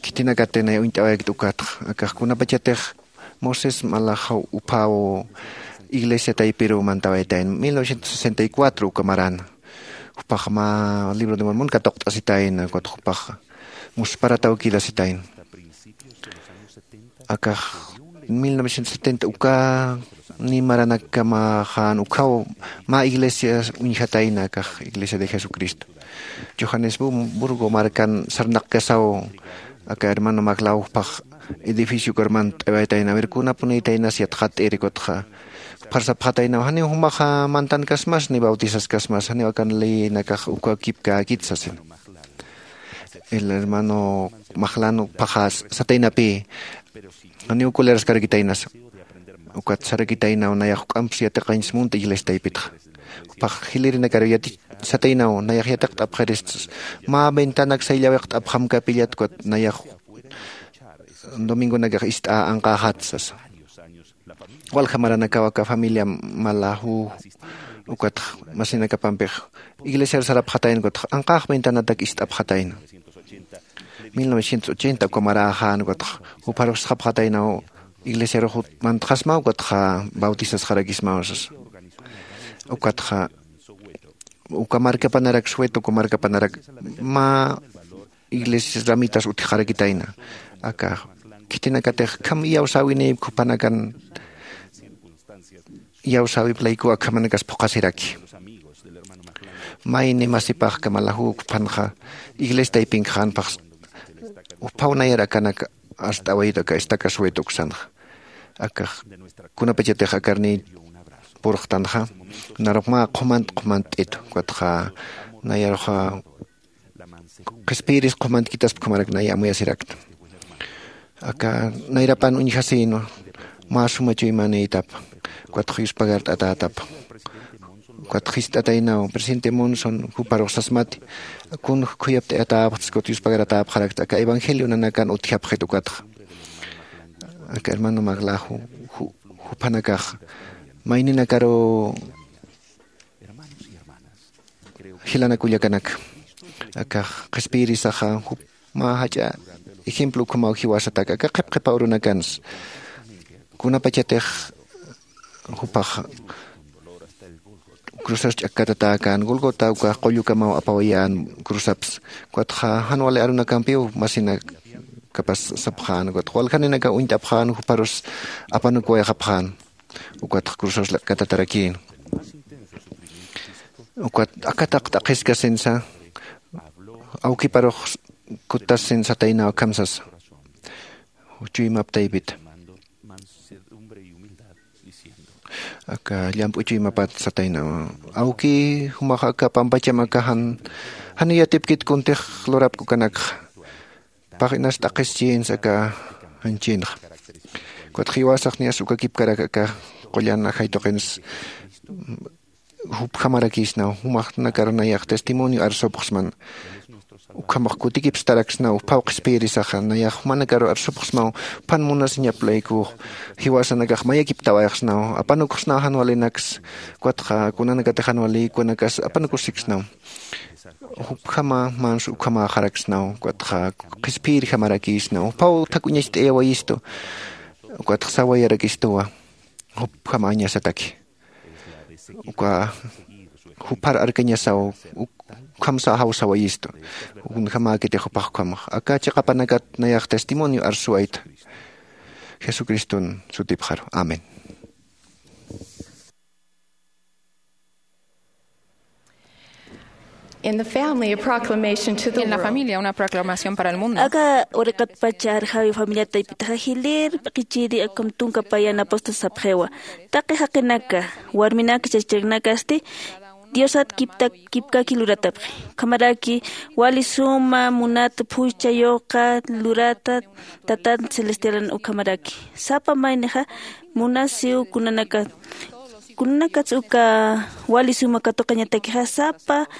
Khitinakatix nay uñt'awaykt ukatxa akax kunapachatix moisés malaxaw uphaw iglesia taypiruw mantawaytayn mil novecientos sesenta y cuatro uka marana. Jupax mä libro de mormon katuqt'asitayna ukatx jupax musparatawkir asitayna. Akax mil novecientos setenta uka nimaranakamaxan ukhaw mä iglesia uñjatayna akax iglesia de jesucristo. Johannesburgo markan sarnaqkasaw aka hermano maglawpax edificio karman t'awaytayna aver kunapunïtaynas yatxat'iri kutxa. Pharsapxataynaw janiw jumaxa mantankasmas ni bautizaskasmas janiw akan leynakax ukakipkäkit sasin. El hermano maxlan ukphaxa sataynapï janiw kuleraskarakitaynasa. Ukat sarakitaynaw nayax juk'amps yatiqañs munta iglesia taypitxa. Juphax jilïrinakar yati sataynaw nayax yatiqt'apxirist. Mä ventanak sayllawiqt'apxam kapillat ukat nayax domingonakax ist'a anqäxat sasa. Walja maranakaw aka familia malaju ukatx masinakapampix iglesiar sarapxatayna ukatx anqäx ventanatak ist'apxatayna. Mil novecientos ochenta uka maräxän ukatx jupharux sxapxataynaw iglesiarux mantxasma ukatxa bautizasxarakismaw sasa. Ukatxa uka markapanarak sueto uka markapanarak mä iglesias ramitas utjxarakitayna. Aka khitinakatix kham iyawsäwinïpki jupanakan iyawsäwip laykuw akhamanakas phuqhasiraki. Mayni masipax kamalajuw juphanxa iglesia taypinkxänpax juphaw nayar akanak arst'awayit aka estaca sueto uksanxa. Akax kunapachatix akarniy purxtanxa narux mä qhumant qhumantt'itu ukatxa nayaruxa qhispiyirisa qhumantkitaspkamarak nay amuyasirakta. Aka nayrapan uñjasïnwa mä suma chuymanïtapa ukatxa yuspagart'atätapa ukatxa jist'ataynaw presidente monson juparux sasmati kun khuyapt'ayatäpxtsa ukatxa yuspagaratäpxarakta aka evangelio nanakan utjapxit ukatxa. Aka hermano maglaju juphanakax mayninakaru jilanakullakanaka akax qhispiyirisaxa mä jach'a ejemplo ukhamaw jiwasatak aka qhipqhipaw runakansa kunapachatix jupax cruzas ch'akkatatäkän gulgota ukax qullukamaw apawayän cruzapsa. Ukatxa jan wali arunakampiw masinakapas sapxän ukatxa waljaninakaw uñt'apxän juparus apanukwayxapxän. Ukatxa cruzas katataraki ukat akataq t'aqhiskasinsa awkiparux kuttasin sataynaw akham sasa. Chuymap taypita aka llamp'u chuymapat sataynaw awki jumax aka pampacham aka jan jan yatipkit kuntix lurapk'ukanakxa pax inas t'aqhischïnsa aka janchinxa. Ukatxa jiwasax niyas ukakipkarak aka qullan ajay tuqins jupjamarakïsnaw jumaxnakar nayax testimonio arsupxsman ukhamax kutikipstaraksnaw juphaw qhispiyirisaxa nayax jumanakaru arsupxsmaw juphan munasiñap laykux jiwasanakax mayakiptawayxsnaw apanuksnaw jan walinaksa. Ukatxa kunanakatix jan wali ukanakas apanukusiksnaw jupjama mans ukhamäxaraksnaw ukatxa qhispiyirjamarakïsnaw juphaw thak'uñacht'ayawayistu ukatxa sawayarakistuwa jupjamañasataki uka juphar arkañasaw ukhamsa jawsawayistu ukunjamäkitix jupax ukhamax aka chiqapanakat nayax testimonio arsuwayta jesucriston sutipxaru amén. En la familia, una proclamación para el mundo. Aka uraqatpacha arjawi familia taypitaxa jilïr p'iqichiri akham tunka payan apóstol sapxiwa taqi jaqinaka warminaka chachaknakasti diosat kipkaki luratapxi ukhamaraki wali suma munat phuchha yuqa lurata tatan celestialan ukhamaraki sapa maynixa munasiw kunanaka kunanakatsa uka wali suma katuqañatakixa sapa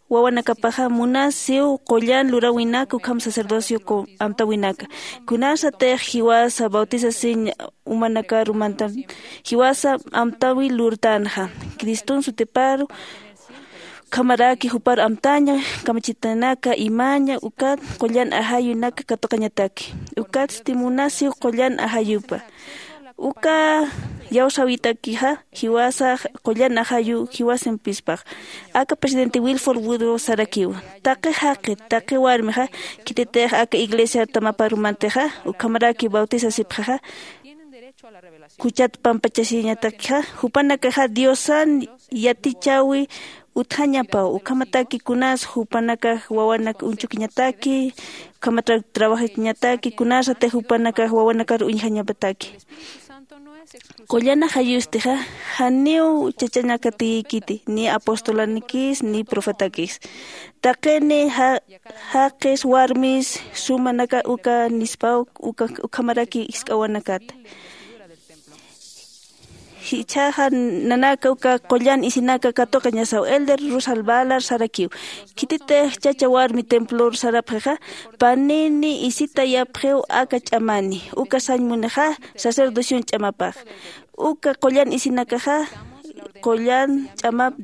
wawanakapaxa munasiw qullan luräwinaka ukham sacerdocio amtäwinaka kunasatix jiwasa bautizasiñ umanakaru mantan jiwasa amtäwi lurtänxa criston sutiparu ukhamaraki jupar amtaña kamachitanaka imaña ukat qullan ajayunaka katuqañataki ukatsti munasiw qullan ajayupa uka iyawsäwitakixa jiwasax qullan ajayu jiwasampispax. Aka presidente wilford woodruff sarakiwa taqi jaqi taqi warmixa khititix aka iglesiar tamaparumantixa ukhamaraki bautizasipxixa juchat pampachasiñatakixa jupanakaxa diosan yatichäwi utjañapaw ukhamataki kunas jupanakax wawanak uñchukiñataki ukhamat trabajachiñataki kunasatix jupanakax wawanakar uñjañapataki. Qullan ajayustixa janiw chachanakatiyikiti ni apostolanikis ni profetakis taqini jaqis warmis sumanaka uka nispaw ukhamaraki jisk'awanakata jichhaxa nanaka uka qullan isinaka katuqañasaw elder rusal balar sarakiw khititix chacha warmi templor sarapxixa panini isitayapxiw aka ch'amani uka sañ munixa sacerdocion ch'amapax uka qullan isinakaxa qullan ch'amap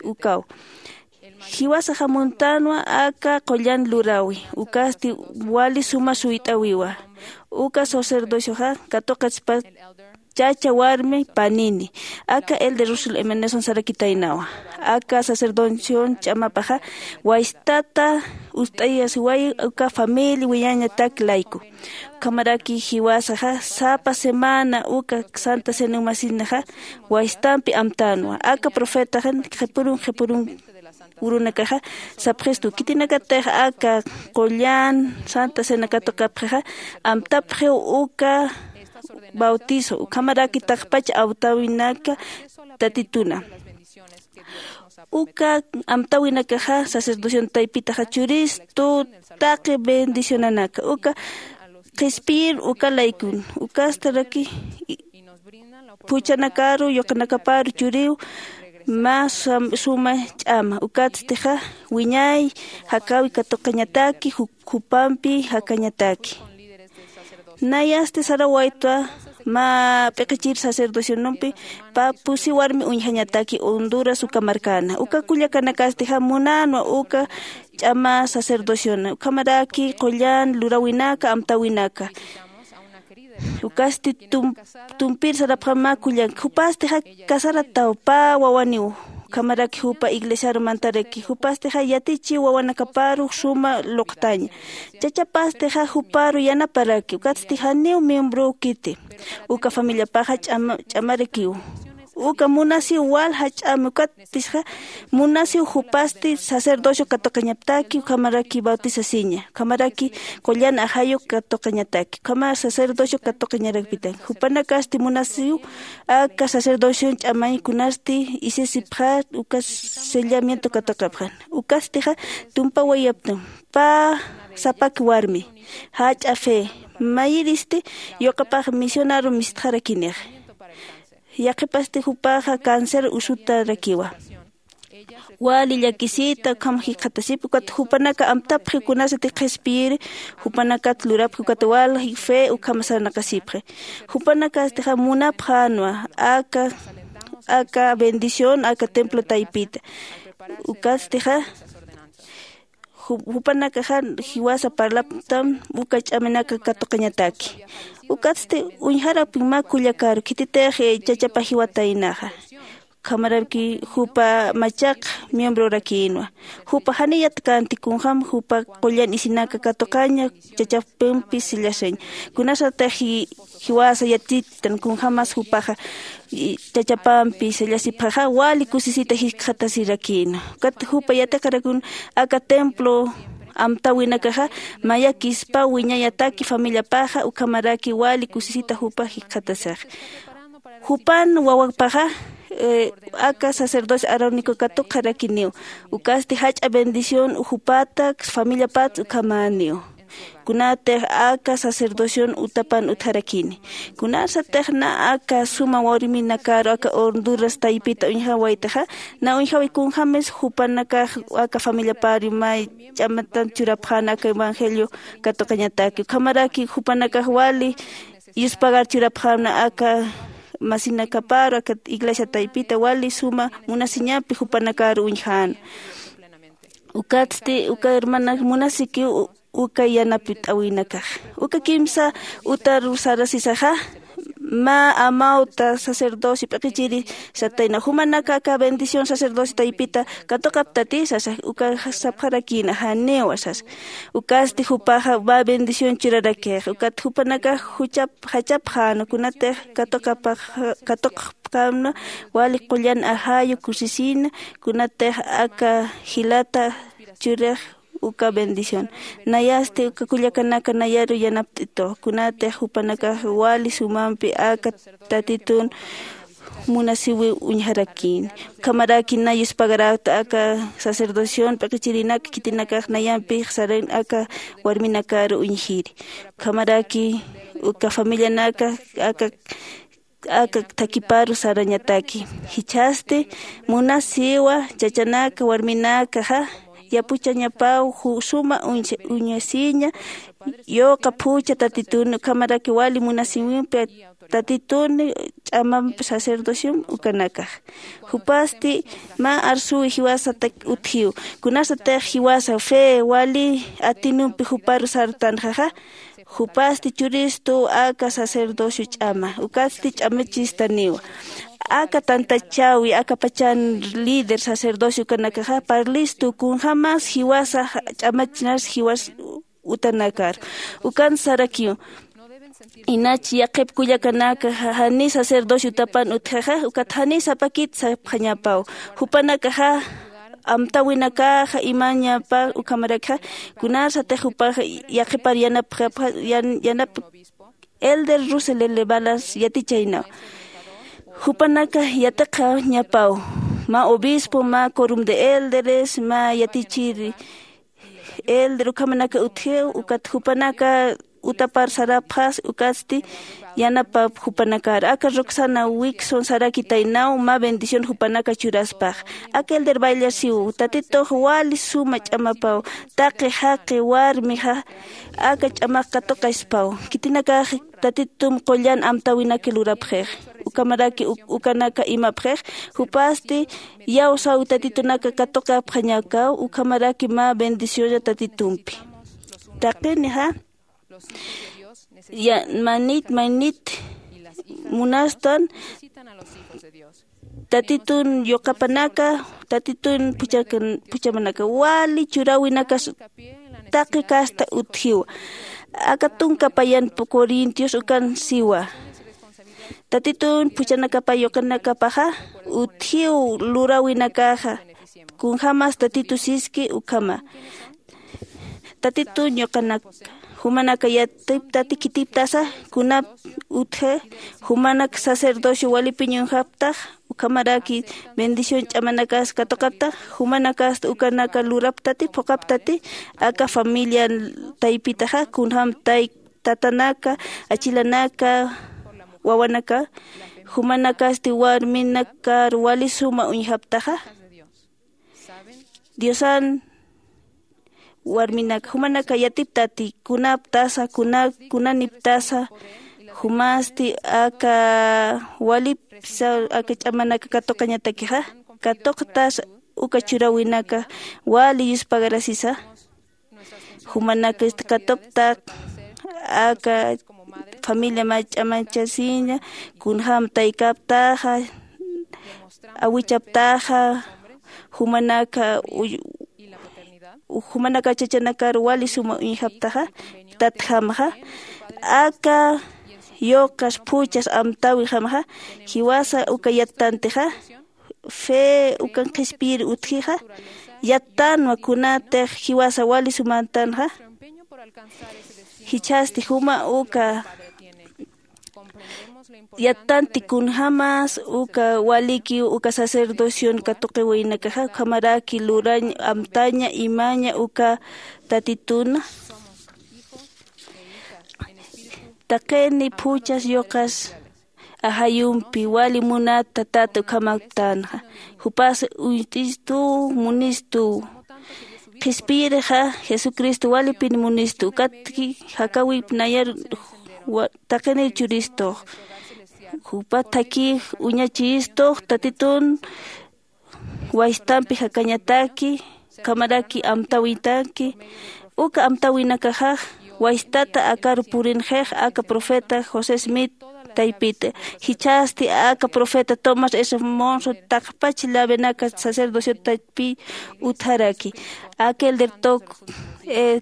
ukaw Jiwasaxa muntänwa aka qullan luräwi, ukasti wali suma suyt'äwiwa. Uka sacerdocioxa katuqatspa chacha warmi panini. Aka elder Russell Emerson sarakitaynawa, aka sacerdocion ch'amapaxa waystata ust'ayasiwayi uka familia wiñañatak layku. Ukhamaraki jiwasaxa sapa semana uka santa cena umasinaxa waystampi amtänwa. Aka profetaxan qhipurun qhipurun urunakaxa sapxistu, khitinakatix aka qullan santa cena katuqapxixa amtapxiw uka bautizo, ukhamaraki taqpach amtäwinaka tatituna. Uka amtäwinakaxa sacerdocion taypitaxa churistu taqi bendicionanaka uka qhispiyir uka laykun. Ukastaraki phuchhanakaru yuqanakaparu churiw mä suma ch'ama. Ukatstixa wiñay jakäwi katuqañataki, jupampi jakañataki. Nayasti sarawaytwa mä p'iqichir sacerdocionampi pä pusi warmi uñjañataki Honduras uka markana. Uka kullakanakastixa munänwa uka ch'ama sacerdociona, ukhamaraki qullan luräwinaka amtäwinaka. Ukasti tumpir sarapxam mä kullank, jupastixa casarataw pä wawaniw. Ukhamaraki jupa iglesiaru mantaraki, jupastixa yatichiw wawanakaparu suma luqtaña. Chachapastixa juparu yanaparaki, ukatsti janiw miembrow kiti. Uka familiapaxa ch'amarakiw. Uka munasiw wal jach'ami, ukatpisixa munasiw jupasti sacerdocio katuqañaptaki, ukhamaraki bautizasiña, ukhamaraki qullan ajayu katuqañataki, ukhamar sacerdocio katuqañarakpitan. Jupanakasti munasiw aka sacerdocion ch'amañ kunasti isisipxar uka sellamiento katuqapxan. Ukastixa tumpawayaptan pä sapak warmi jach'a fe mayiristi yuqapax misionaru mistxarakinix. Yaqhipasti jupaxa cáncer usutarakiwa. Wali llakisita ukham jikxatasip, ukat jupanaka amtapxi kunasati qhispiyiri jupanakat lurapxi, ukat wali fe ukham sarnaqasipxi. Jupanakastixa munapxänwa aka aka bendición aka templo taypita. Ukastixa jupanakaxa jiwasa parlaptam uka ch'aminaka katuqañataki. Ukatsti uñjarapin mä kullakaru khititix chachapa jiwataynaxa. Ukhamaraki jupa machaq miembrorakïnwa. Jupa janiyat kanti kunjäm jupa qullan isinaka katuqaña chachapampi sellasiñ. Kunasatix jiwasa yatitan kunjämas jupaxa chachapampi sellasipxaxa wali kusisita jikxatasirakïna. Ukat jupa yatiqarakun aka templo amtäwinakaxa mayakispa wiñayataki familiapaxa ukhamaraki wali kusisita jupa jikxatasixa. Jupan wawapaxa aka sacerdocio arónico katuqarakiniw. Ukasti jach'a bendición jupatak familiapats ukhamäniw. Kunatix aka sacerdocion utapan utjarakini. Kunasatix na aka suma warminakaru aka Honduras taypita uñjawaytixa, na uñjawi kunjämis jupanakax aka familiapari may ch'amatan churapxäna aka evangelio katuqañataki. Ukhamaraki jupanakax wali yuspagar churapxäna aka masinakaparu aka iglesia taypita wali suma munasiñampi jupanakaru uñjäna. Ukatsti uka hermanak munasikiw uka yanapt'awinakax. Uka kimsa utaru sarasisaxa mä amawta sacerdocio p'iqichiri satayna, jumanaka aka bendición sacerdocio taypita katuqaptati sasa. Uka sapxarakïna janiwa sasa. Ukasti jupaxa mä bendición churarakixa. Ukat jupanakax juchap jachapxäna kunatix katuqapxäna wali qullan ajayu kusisina kunatix aka jilata churix uka bendición. Nayasti uka kullakanaka nayaru yanapt'itux kunatix jupanakax wali sumampi aka tatitun munasiwi uñjarakïn. Ukhamaraki na yuspagarakta aka sacerdocion p'iqichirinak khitinakax nayampix saran aka warminakaru uñjiri. Ukhamaraki uka familianaka aka aka thakiparu sarañataki. Jichhasti munasiwa chachanaka warminakaxa yapuchañapaw suma uñasiña yuqa phucha tatitun ukhamaraki wali munasiwimpi tatitun ch'amamp sacerdociom ukanakax. Jupasti mä arsuwi jiwasatak utjiw. Kunasatix jiwasa fe wali atinumpi juparu sartanxaxa, jupasti churistu aka sacerdocio ch'ama ukatsti ch'amachistaniwa. Aka tantachäwi aka pachan líder sacerdocio ukanakaxa parlistu kunjämas jiwasa ch'amachinas jiwas utanakar. Ukan sarakiw inach yaqhip kullakanaka jani sacerdocio utapan utjaxa ukat jani sapakit sapxañapaw. Jupanakaxa amtäwinakaxa imañapa ukhamarakxa kunarsatix jupaxa yaqhipar yanapxapxa yanap elder rusel elevalas yatichaynaw. Jupanaka yatiqañapaw mä obispo mä corum de elderes mä yatichiri elder ukhamanaka utjiw ukat jupanaka utapar sarapxas ukatsti yanapap jupanakar aka roxana wikson sarakitaynaw mä bendición jupanaka churaspax. Aka elder bayllarsiw tatitux wali suma ch'amapaw taqi jaqi warmixa aka ch'amax katuqaspaw khitinakax tatitum qullan amtäwinaki lurapxix. Ukhamaraki ukanaka imapxix jupasti iyawsaw tatitunaka katuqapxañakaw ukhamaraki mä bendicionlla tatitumpi. Taqinixa manit manit munastan tatitun yuqapanaka tatitun puchamanaka wali churäwinakas taqi kasta utjiwa. Aka tunka payan corintios ukan siwa tatitun puchanakapa yuqanakapaxa utjiw luräwinakaxa kunjämas tatitu siski ukhama. Tatitun yuqanaka jumanaka yatiptati khitiptasa kunap utji jumanak sacerdocio walipiñunxaptax ukhamaraki bendición ch'amanakas katuqaptax jumanakasta ukanaka luraptati phuqaptati aka familia taypitaxa kunjäm tay tatanaka achilanaka wawanaka jumanakasti warminakar wali suma uñjaptaxa. Diosan warminaka jumanaka yatiptati kunaptasa kuna kunaniptasa jumasti aka walipsa aka ch'amanaka katuqañatakixa katuqtas uka churäwinaka wali yuspagarasisa. Jumanakasti katuqtaq aka familia mä ch'amachasiña kunjäm taykaptaxa awichaptaxa jumanaka jumanaka chachanakar wali suma uñjaptaxa tatjamxa aka yuqas phuchas amtäwixamxa jiwasa uka yattantixa fe ukan qhispiyir utjixa yattanwa kunatix jiwasa wali sumantanxa. Jichhasti juma uka yattanti kunjämas uka walikiw uka sacerdocion katuqiwaynakaxa ukhamaraki lurañ amtaña imaña uka tatituna taqini phuchas yuqas ajayumpi wali munat tatat ukhamaptänxa. Jupas uñt'istu munistu qhispiyirixa jesucristo walipin munistu ukatki jakäwip nayar taqinir churistux jupa thakix uñachistux tatitun waystampi jakañataki ukhamaraki amtäwitaki uka amtäwinakaxax waystata akar purinxix aka profeta josé smith taypita. Jichhasti aka profeta tomás s monson taqpach lavenaka sacerdociot taypi utjaraki aka elder tok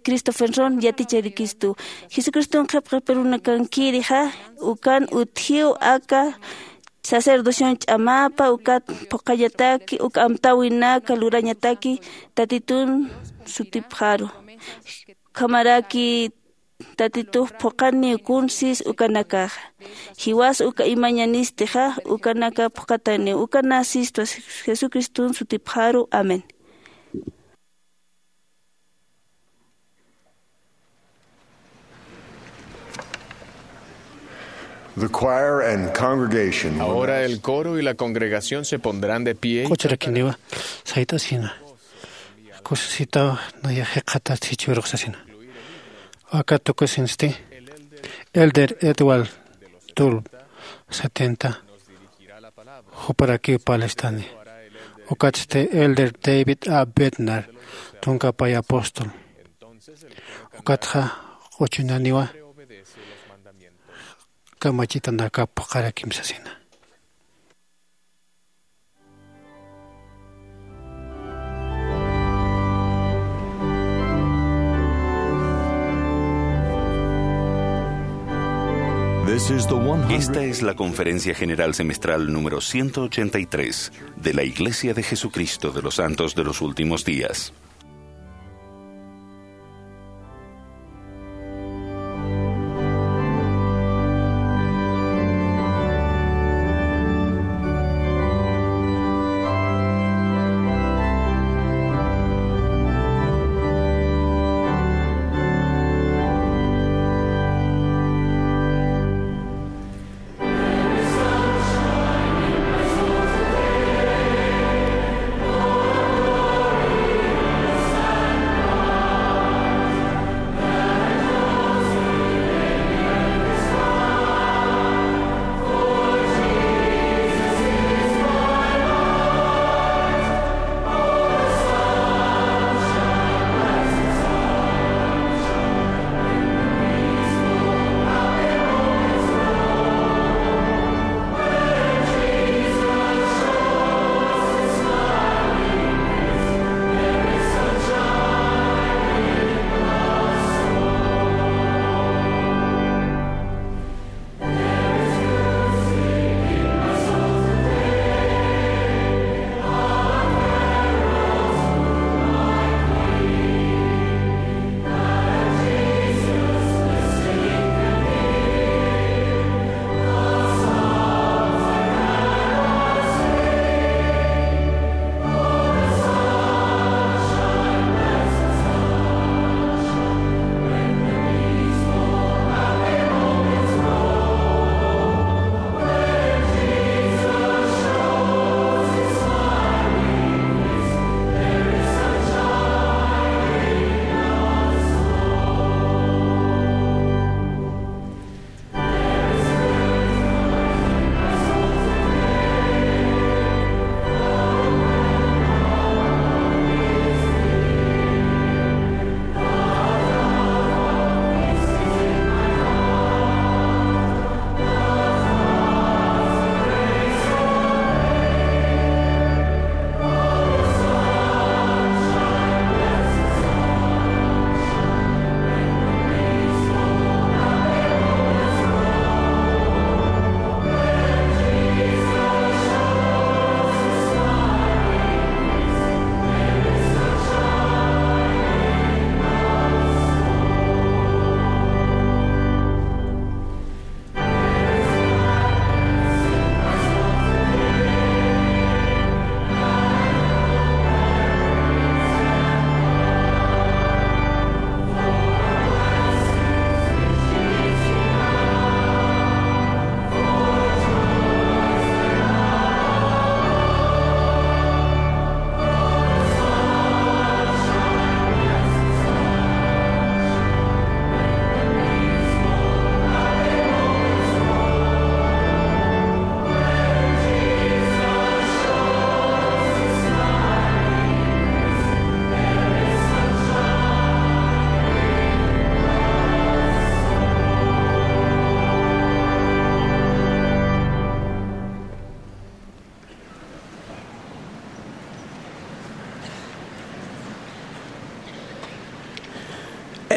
cristopherson yaticharikistu jesucriston qhipqipirunakankirixa ukan utjiw aka sacerdocion ch'amapa ukat phuqhañataki uka amtäwinaka lurañataki tatitun sutipxaru. Ukhamaraki tatitux phuqhaniw kunsis ukanakaxa jiwas uka imañanistixa ukanaka phuqhataniw ukanasistu jesucriston sutipxaru amén. The choir and congregation will Ahora now el coro y la congregación se pondrán de pie. Qucharakiniwa sayt'asina kusisitaw naya jiqatat jichhüruxsasina. Aka tukusinsti elder edward tul setenta, juparakiw parlistani. Ukatsti elder David A. Bednar, tunka pay apóstol. Ukatxa q'uchunaniwa kamachitanakap phuqharakim sasina. Esta es la Conferencia General Semestral número ciento ochenta y tres de la Iglesia de Jesucristo de los Santos de los Últimos Días.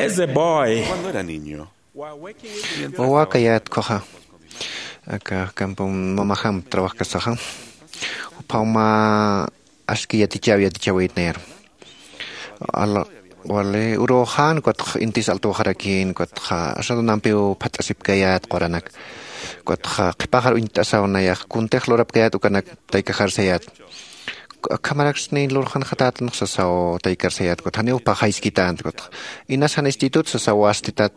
As a boy, Cuando era niño, mientras Wawakayät ukkhaxa, aka campo mamajamp trabajkasaxa, juphaw mä aski yatichäw yatichäwit nayaru. Ala, wali uruxan, ukatxa intis altuxarakïn, ukatxa asadunampiw phats'asipkayät quranak. Ukatxa qhipaxar uñt'asaw nayax kuntix lurapkayät ukanak taykaxar sayät. Akhamaraksni lurxanxatätanx sasaw taykar sayät, ukat janiw phaxayskitänti, ukatxa inas jan institut sasaw wastitat,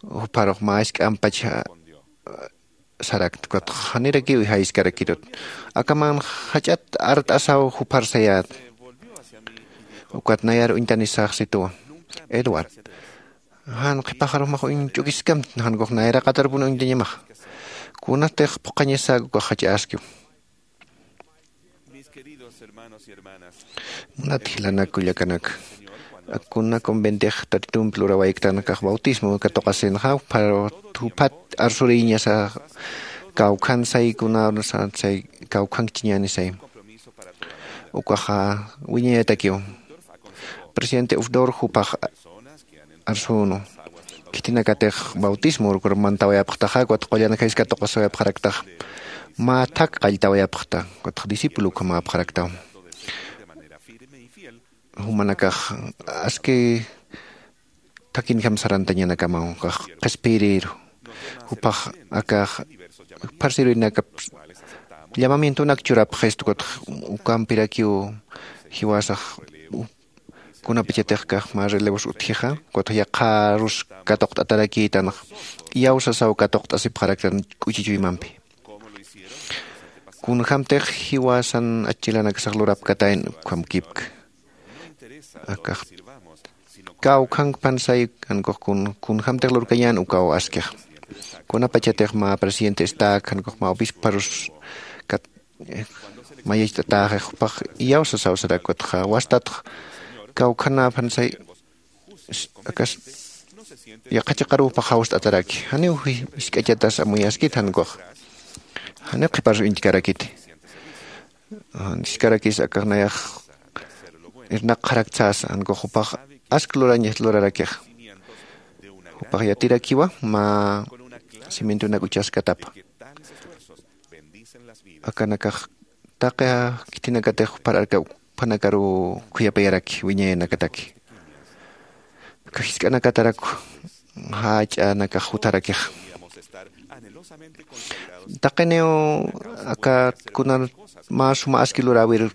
jupharux mä jisk'ampach sarakta, ukat janirakiw jayskarakitut. Akaman jach'at art'asaw jupar sayät. Ukat nayar uñtanisax situwa. Edward, jan qhipaxarux max uñch'ukiskamti, jan kux nayra qatarpun uñtañamax. Kunatix phuqhañasak ukax jach'askiw. Munat jilanak kullakanaka, kuna conventix tatitumpi lurawayktän kax bautismo katuqasinxa, pero juphat arsuriñasa kawkhan say kuna say kawkhankchiñäni say. Ukaxa wiñayatakiw. Presidente Ufdor jupax arsunu. Khitinakatix bautismo urkur mantawayapxtaxa, ukat qullanakayskatuqasawayapxaraktaxa, mä thak qalltawayapxta, ukatxa discípulo ukhamäpxaraktaw. Jumanakax aski thakinjam sarantañanakamaw kax qhispiyiriru. Jupax akax jupharsiruynakap llamamientonak churapxistu, ukatxa ukampirakiw jiwasax kunapachatix kax mä relevos utjixa, ukatxa yaqharus katuqt'atarakïtanxa, iyawsasaw katuqt'asipxaraktan k'uchichuymampi. Kunjämtix jiwasan achilanakasax lurapkatayn ukhamkipk. Akax kawkhank pansay, jankux kun kunjämtix lurkañän ukaw askix. Kunapachatix mä presidente estac jankux mä obisparus kat mayacht'atäxix, jupax iyawsasaw sarak, ukatxa wastatx kawkhanä pansay akas yaqha chiqaruw jupax jawst'ataraki, janiw jisk'achatas amuyaskit jankux. Janiw qhiparus uñtkarakiti. Jiskarakis akax nayax irnaqxaraktsasa, jankux jupax ask lurañas lurarakix. Jupax yatirakiwa mä cimientonak uchaskatapa. Akanakax taqi khitinakatakix juphar arkaw juphanakaruw khuyapayaraki wiñayanakataki. Aka jisk'anakatarakwa jach'anakax jutarakixa. Taqiniw aka kunar mä suma aski luräwir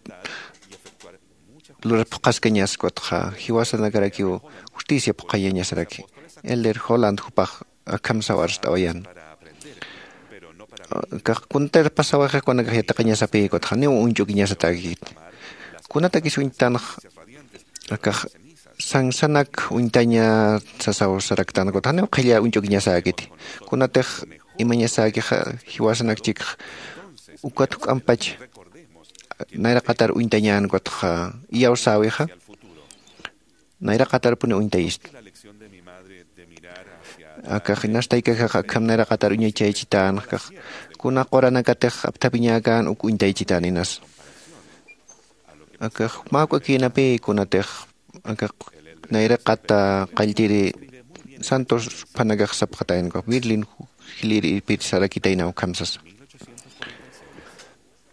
lurar phuqhaskañas, ukatxa jiwasanakarakiw justicia phuqhayañasaraki. Elder Holland jupax akham sawarst'awayan. Akax kuntir pasawayxix kunakax yatiqañasapï, ukatxa janiw uñch'ukiñasatäkit. Kunatakis uñtanx akax sansanak uñtaña sasaw saraktan, ukatxa janiw qhilla uñch'ukiñasäkiti. Kunatix imañasäkixa jiwasanakchikx ukat juk'ampach nayraqatar uñtañän, ukatxa iyawsäwixa nayraqatarpuni uñtayistu. Akax inas taykajax akham nayraqatar uñachaychitän, akax kuna quranakatix apthapiñäkän uk uñtaychitän inas. Akax mä juk'akïnapï kunatix akax nayraqata qalltiri santos juphanakax sapxatayna, akax Berlin jilïr irpir sarakitayna ukham sasa.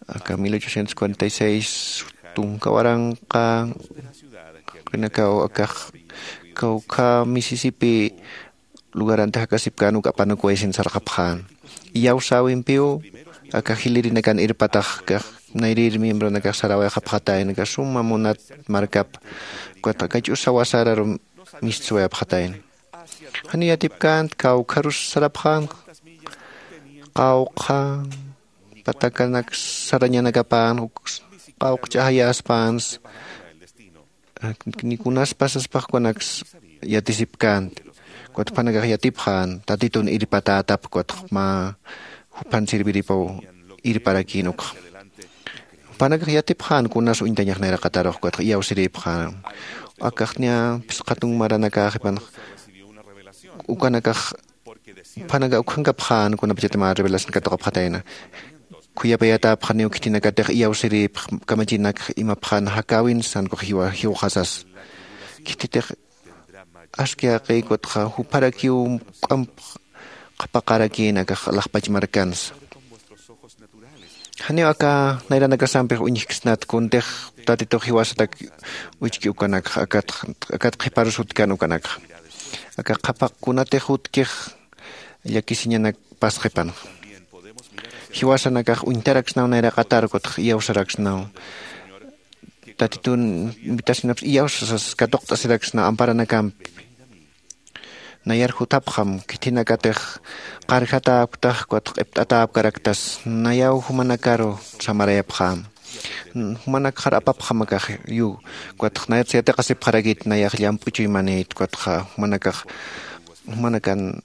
Aka mil ochocientos cuarenta y seis tunka waranqa, qinakaw akax kawkha Mississippi lugaranti jakasipkän uk apanukuwaysin sarxapxän. Iyawsäwimpiw aka jilïrinakan irpatax akax nayrïr miembronakax sarawayxapxatayna, aka suma munat markap, ukat aka ch'usa wasararu mistsuwayapxatayna. Janiw yatipkänti, kawkharus sarapxän, qawqha patakanak sarañanakapän, uk qawqch'ajayäspänsa, ni kunas pasaspax kunaks yatisipkänti. Ukat juphanakax yatipxän Tatitun irpatätap, ukat mä juphan sirviripaw irparakïn ukxa. Juphanakax yatipxän kunas uñtañax nayraqatarux, ukatxa iyawsirïpxän. Akax niya phisqa tunka maranakäxipanx ukanakax juphanakax ukhankapxän kunapachat mä revelación katuqapxatayna. Khuyapayatäpxaniw khitinakatix iyawsirïpx kamachinak imapxän jakäwinsa, jankux jiwa jiwxasas. Khititix aski jaqïkutxa jupharakiw k'amp qhapaqarakïn akax alaxpach markansa. Janiw aka nayranakasampix uñjksnat, kuntix Tatitux jiwasatak uchki ukanakxa, akat akat qhiparus jutkan ukanakxa. Aka qhapaq kunatix jutkix llakisiñanak pasqipanxa. Jiwasanakax uñtaraksnaw nayraqatar, ukatxa iyawsaraksnaw. Tatitun invitacionaps iyawsasas katuqt'asiraksnaw amparanakampi. Nayar jutapxam, khitinakatix qarjatäpktax, ukatxa q'ipt'atäpkaraktas, nayaw jumanakaru samarayapxäm. Jumanakxar apapxam akax, yu, ukatxa nayatsa yatiqasipxarakit nayax llamp'u chuymanït, ukatxa jumanakax, jumanakan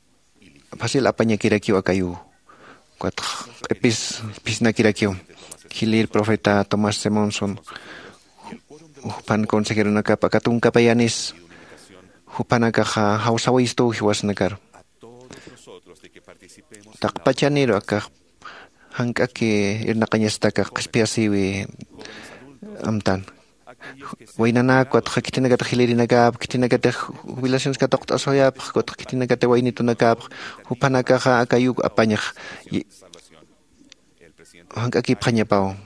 facil apañakirakiw akayu. Ukatx q'ipis phisnakirakiw. Khilir profeta Tomás Simonson, juphan consejeronakap aka tunkapayanis jupanakaxa jawsawistuw jiwasnakar. Taqpachaniru akax jank'aki irnaqañasatakax qhispiyasïwi amtan. Waynanäk ukatxa khitinakatix jilïrinakap, khitinakatix jubilaciones katuqt'asuyapx ukatxa khitinakatix waynitunakapx, juphanakaxa aka yuk apañx jank'akipxañapaw.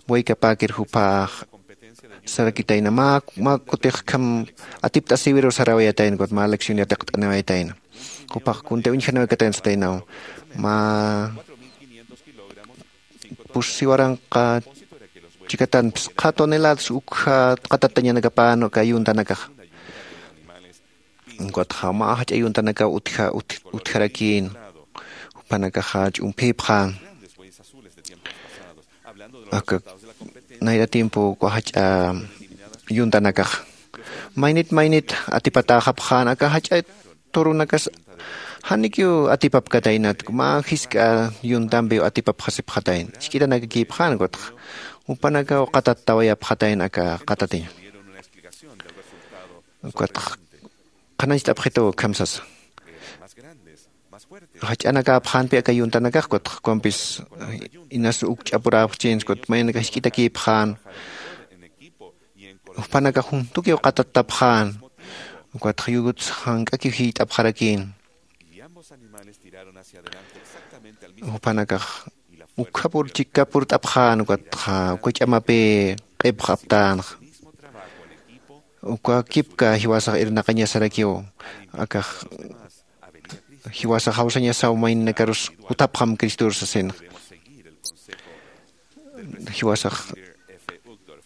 Waykapäkir juphax sarakitayna mä kutix kham atipt'asïwiruw sarawayatayna ukat mä lección yatiqt'aniwayatayna. Juphax kuntï uñjanawaykatäna sataynaw. Mä pusi waranqa chikatanpis qha toneladas ukja qatattañanakapän aka yuntanakaxa. Ukatxa mä jach'a yuntanakaw utja utjarakïn. Jupanakaxa ch'umphïpxän aka nayra tiempo uka jach'a yuntanakaxa. Maynit maynit atipatäxapxän aka jach'a turunakas janikiw atipapkataynat mä jisk'a yuntampiw atipapxasipxatayna. Isk'itanakakïpxän ukatxa jupanakaw qatattawayapxatayna aka qatatiña. Ukatxa qhanañcht'apxitu ukham sasa. Jach'anakäpxänpi aka yuntanakax ukatxa ukampis inas uk ch'apuräpxchïnsa ukatxa maynakax jisk'itakïpxän. Jupanakax juntukiw qatattapxän ukatxa yukutsa jank'akiw jiyt'apxarakïn. Jupanakax ukhapur chikkapurt'apxän ukatxa uka ch'amapï q'ipx aptänxa. Uka kipka jiwasax irnaqañasarakiw akax jiwasax jawsañasaw mayninakarus jutapxam cristor sasinxa. Jiwasax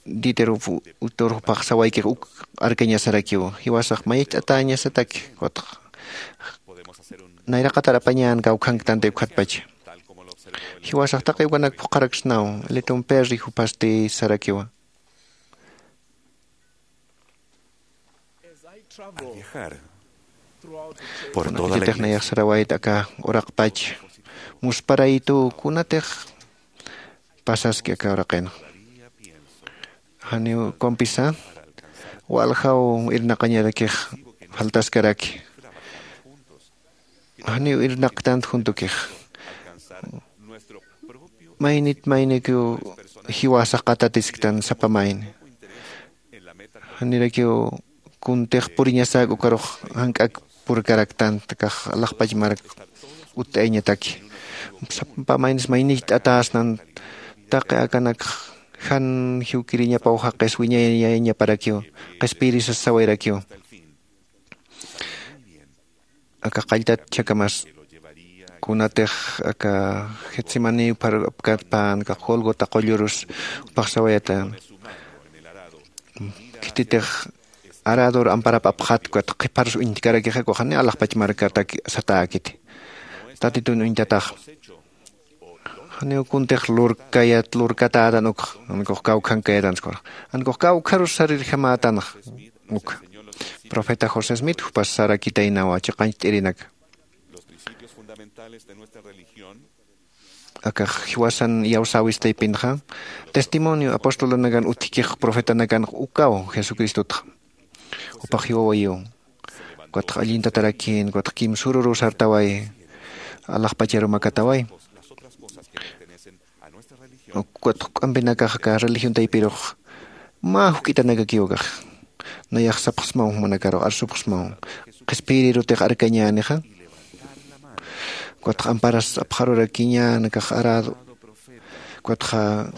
dieter utor jupax sawaykix uk arkañasarakiw jiwasax mayach'atäñasataki. Ukatxa nayraqatar apañän kawkhanktanti ukhatpacha. Jiwasax taqi ukanak phuqharaksnaw. Liton perri jupasti sarakiwa. Kunatitix nayax sarawayta aka uraqpach musparaytu kunatix pasaski aka uraqinxa. Janiw kumpisa waljaw irnaqañarakix faltaskaraki. Janiw irnaqktant juntukix maynit maynikiw jiwasax qatatisktan sapa mayni. Janirakiw kuntix puriñasäk ukarux jank'ak purkaraktant akax alaxpach mark utt'ayañataki. Sapa maynis maynicht'atäsnan taqi akanakx jan jiwkiriñapaw jaqis wiñayañaparakiw qhispiyiri sasawayrakiw. Aka qalltat chhakamas kunatix aka getsemaní upharapkatpän aka golgota qullurus upaxsawayata. Khititix arador amparap apxat ukat qhipharus uñtkarakixaku janiw alaxpach markatak satäkiti. Tatitun uñtatax janiw kuntix lurkayat lurkatätan ukx ankux kawkhankayatan skurax ankux kawkharus sarirjamätanx. Ukxa profeta josé smith jupas sarakitaynawa chiqancht'irinaka. Akax jiwasan iyawsäwistaypinxa testimonio apostolanakan utjkix profetanakanx ukaw jesucristotxa. Jupax jiwawayiw ukatx allintatarakin ukatx kimsürüruw sartaway alaxpacharu makataway. Ukatx juk'ampinakax aka religión taypirux mä juk'itanakakiw akax. Nayax sapxsmaw jumanakarux arsupxsmaw qhispiyirirutix arkañänixa. Ukatx amparas apxarurakiñän akax arado ukatxa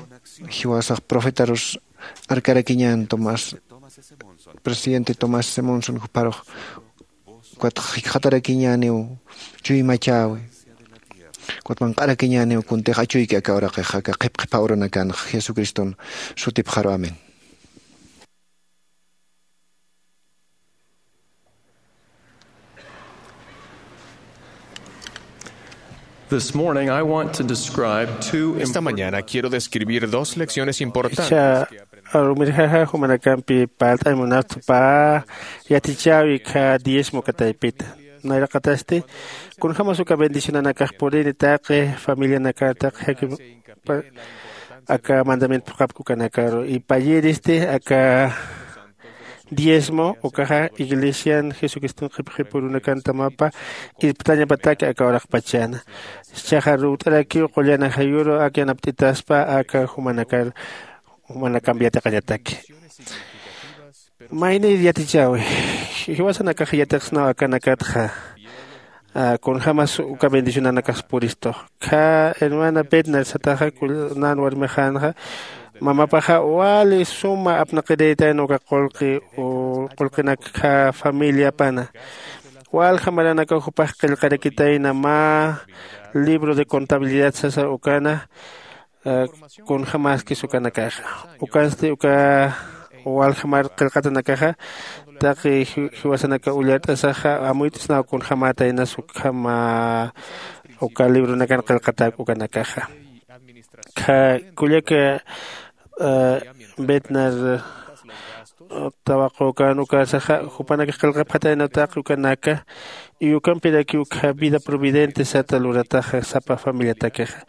jiwasax profetarus arkarakiñän tomás presidente tomás simonson jupharux. Ukatx jikxatarakiñäniw chuymachäwi. Ukat manq'arakiñäniw kuntix achuyki aka uraqix aka qhipqhipha uranakanx jesucriston sutipxaru amén. This morning, I want to describe two Esta important mañana quiero describir dos lecciones importantes. Cha arumirjaja jumanakampi palt'ay munaptpa yatichäwi kha diezmo kataypita. Nayraqatasti kunjämas uka bendicionanakax purini taqi familianakar taqi jaki aka mandamiento phuqhapki ukanakaru y payïristi aka diezmo ukaxa iglesian jesucriston qhipxipurunakanta mapa irptañapataki aka uraqpachana. Jichhaxa ruwt'arakiw qullan ajayuru ak yanapt'itaspa aka jumanakar jumanakamp yatiqañataki. Maynir yatichäwi, jiwasanakax yatiqsnaw akanakatxa kunjämas uka bendicionanakax puristu. Khä hermana petner sataxa kunan warmixänxa mamapaxa wali suma apnaqirïtayna uka qullqi qullqinak khä familiapana. Walja maranakaw jupax qillqarakitayna mä libro de contabilidad sasa ukana kunjämäskis ukanakaxa. Ukansti uka waljamar qillqatanakaxa taqi jiwasanaka ullart'asaxa amuyt'snaw kunjämätaynas ukhama uka libronakan qillqatäk ukanakaxa. Kullaka betnar tawaqükan ukarsaxa jupanakax qillqapxatayna taqi ukanaka y ukampirakiw ukkha vida providente sata lurataxa sapa familiatakixa.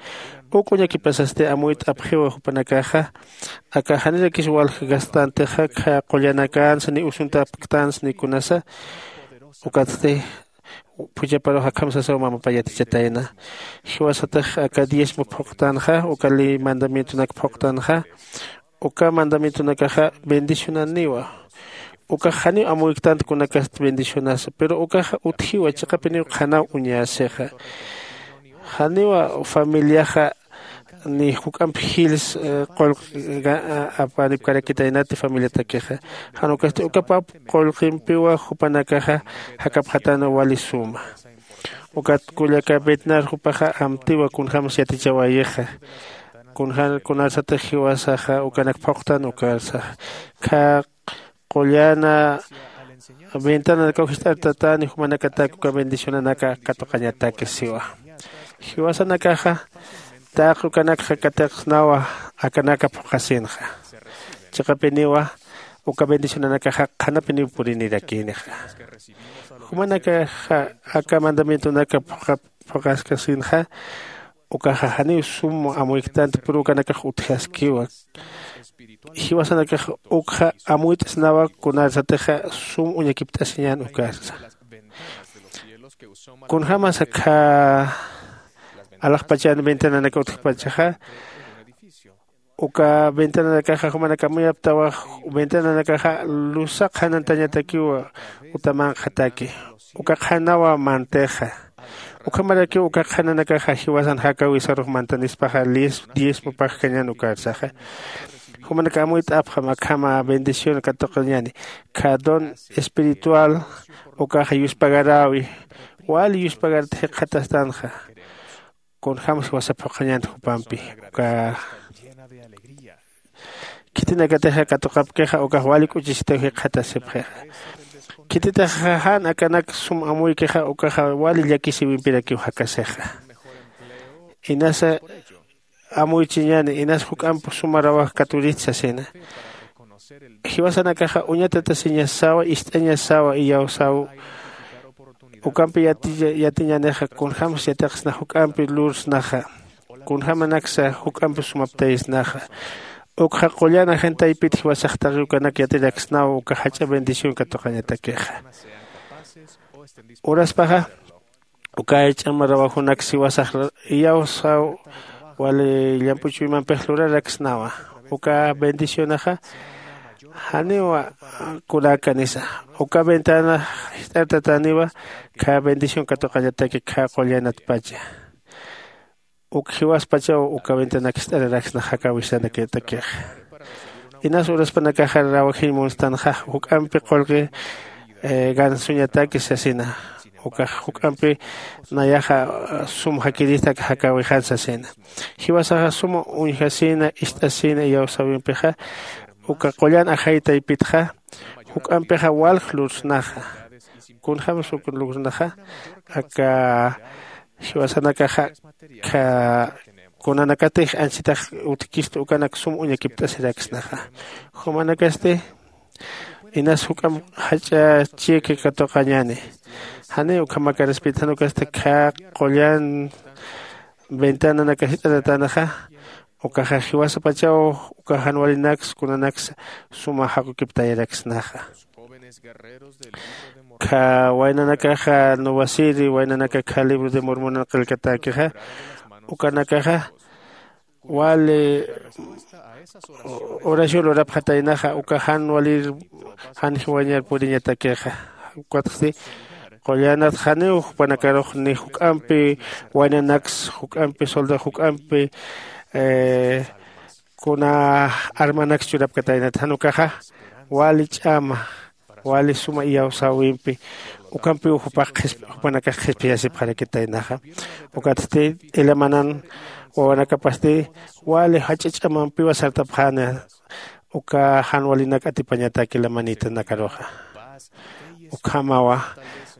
Uk uñakipasasti amuyt'apxiwa jupanakaxa aka janirakis walja gastantixa khä qullanakansa ni usuntapktansa ni kunasa. Ukatsti phuchhaparux akham sasaw mamapa yatichatayna. Jiwasatix aka diezmo phuqtanxa uka ley mandamientonak phuqtanxa uka mandamientonakaxa bendicionaniwa. Ukax janiw amuyktant kunakast bendicionasa pero ukaxa utjiwa chiqapiniw qhanaw uñäsixa. Janiwa familiaxa ni juk'amp jils qullq apanipkarakitaynati familiatakixa. Jan ukasti uka pap qullqimpiwa jupanakaxa jakapxatäna wali suma. Ukat kullaka betnar jupaxa amtiwa kunjämas yatichawäyixa. Kunjämas kunarsatix jiwasaxa ukanak phuqtan ukarsaxa khä qullana ventananakaw jist'artatäni jumanakatak uka bendicionanaka katuqañatakis siwa. Jiwasanakaxa taqi ukanakxa katiqsnawa akanaka phuqhasinxa. Chiqapiniwa uka bendicionanakaxa qhanapiniw purinirakïnixa. Jumanakaxa aka mandamientonaka phuqhaskasinxa ukaxa janiw sum amuyktanti pur ukanakax utjaskiwa. Jiwasanakax ukxa amuyt'snawa kunarsatixa sum uñakipt'asiñän ukarsa. Kunjämas akhä alaxpachan ventananaka utjpachaxa uka ventananakaxa jumanak amuyaptawa. Ventananakaxa lusa qhanantañatakiwa uta manqhataki. Uka qhanawa mantixa. Ukhamarakiw uka qhananakaxa jiwasan jakäwisarux mantanispaxa diezmo pagkañän ukarsaxa. Jumanak amuyt'apxam akhama bendición katuqañäni. Khä don espiritual ukaxa yuspagaräwi. Wali yuspagarta jikxatastanxa. Kunjämas jiwasa phuqhañänti jupampi uka khitinakatixa katuqapkixa ukax wali k'uchisitaw jikxatasipxixa. Khititixa jan akanak sum amuykixa ukaxa wali llakisïwimpirakiw jakasixa. Inasa amuychiñäni inasa juk'amp suma rawaj katurït sasina. Jiwasanakaxa uñatatasiñasawa ist'añasawa iyawsaw. Ukampi yatiñänixa kunjämas yatiqsna juk'ampi lursnaxa kunjämanaksa juk'ampi sumaptaysnaxa. Ukxa qullan ajantaypit jiwasax taqi ukanak yatiraksnaw uka jach'a bendición katuqañatakixa. Uraspaxa uka jach'a marawajunak jiwasax iyawsaw wali llamp'u chuymampix luraraksnawa. Uka bendicionaxa janiwa kunakanisa. Uka ventana jist'artatäniwa khä bendición katuqañataki khä qullanatpacha. Uk jiwaspachaw uka ventanak jist'araraksna jakäwisanakatakixa. Inas uraspanakaxa rawajiñ munstanxa juk'ampi qullqi gansuñataki sasina. Ukax juk'ampi nayaxa sum jakirista aka jakäwixan sasina. Jiwasaxa suma uñjasïna ist'asïna iyawsäwimpixa uka qullan ajay taypitxa juk'ampixa walj lursnaxa. Kunjämas uk lursnaxa aka jiwasanakaxa kunanakatix anchitax utjkista ukanak sum uñakipt'asiraksnaxa. Jumanakasti inas juk'amp jach'a chika katuqañäni. Janiw ukhamakar respetjan ukasta khä qullan ventananaka jit'atatänaxa. Ukaxa jiwasapachaw uka jan walinaksa kunanaksa suma jaqukiptayaraksnaxa. Khä waynanakaxa nuwasiri waynanaka khä libro de mormonan qillkatäkixa. Ukanakaxa wali oración lurapxataynaxa uka jan walir jan jiwañar puriñatakixa. Ukatsti qullanat janiw jupanakarux ni juk'ampi waynanaks juk'ampi soldado juk'ampi kuna armanaks churapkataynat jan ukaxa wali ch'ama wali suma iyawsäwimpi ukampiw jupax jupanakax qhispiyasipxarakitaynaxa. Ukatsti ilamanan wawanakapasti wali jach'a ch'amampiwa sartapxäna uka jan walinak atipañatak ilamanitanakaruxa. Ukhamawa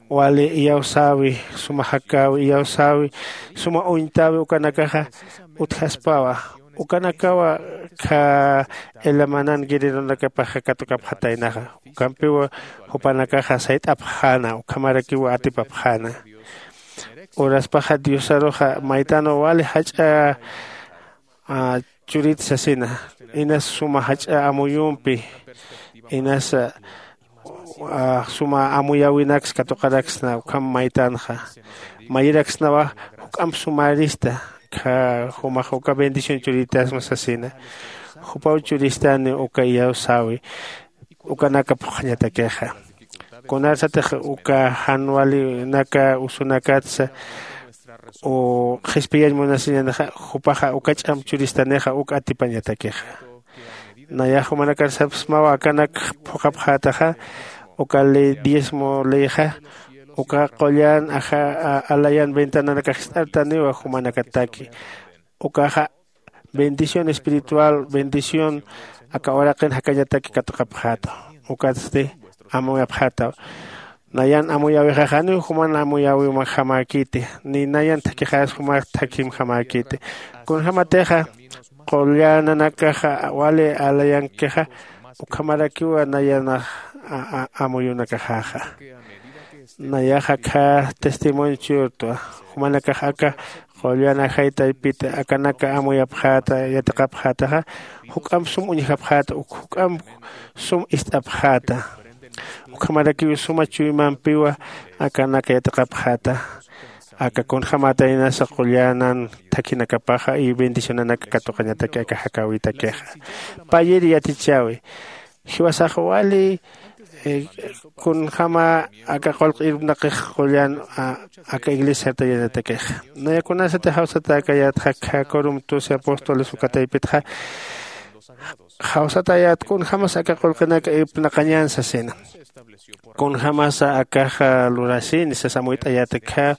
wali iyawsäwi suma jakäwi iyawsäwi suma uñtäwi ukanakaxa utjaspawa. Ukanakawa khä ilamanan guerreronakapaxa katukapxataynaxa ukampiw jupanakaxa sayt'apxäna ukhamarakiw atipapxäna. Uraspaxa diosaruxa maytanwa wali jach'a churit sasina inas suma jach'a amuyumpi inas suma amuyäwinaks katuqaraksna ukham maytanxa mayiraksnawa juk'amp sumarista. Jumax uka bendición churitasma sasina jupaw churistani uka iyawsäwi ukanaka phuqhañatakixa. Kunarsatix uka jan walinaka usunakatsa qhispiyañ munasiñänixa jupaxa uka ch'amp churistanixa uk atipañatakixa. Nayax jumanakar sapsmawa akanak phuqhapxätaxa uka ley diezmo leyxa uka qullan alayan ventananakax jist'artaniwa jumanakataki. Ukaxa bendición espiritual bendición aka uraqin jakañataki katuqapxäta. Ukatsti amuyapxätaw. Nayan amuyäwixax janiw juman amuyäwimajamäkiti ni nayan thakixäs jumax thakimjamäkiti. Kunjämatixa qullananakaxa wali alayankixa ukhamarakiwa nayanax amuyunakaxäxa. Nayaxa khä testimonio churtwa jumanakax aka qullan ajay taypit akanaka amuyapxäta yatiqapxätaxa juk'amp sum uñjapxäta uk juk'amp sum ist'apxäta. Ukhamarakiw suma chuymampiwa akanaka yatiqapxäta aka kunjämätaynasa qullanan thakhinakapaxa y bendicionanaka katuqañataki aka jakäwitakixa. Payir yatichäwi jiwasax wali kunjäma aka qullq irpnaqix qullan aka iglesiar tayanatakix. Naya kunasati jawsatäkayätxa khä corum doce apóstoles uka taypitxa jawsatäyät kunjämasa aka qullqinak irpnaqañän sasina. Kunjämasa akaxa lurasini sas amuyt'ayäta khä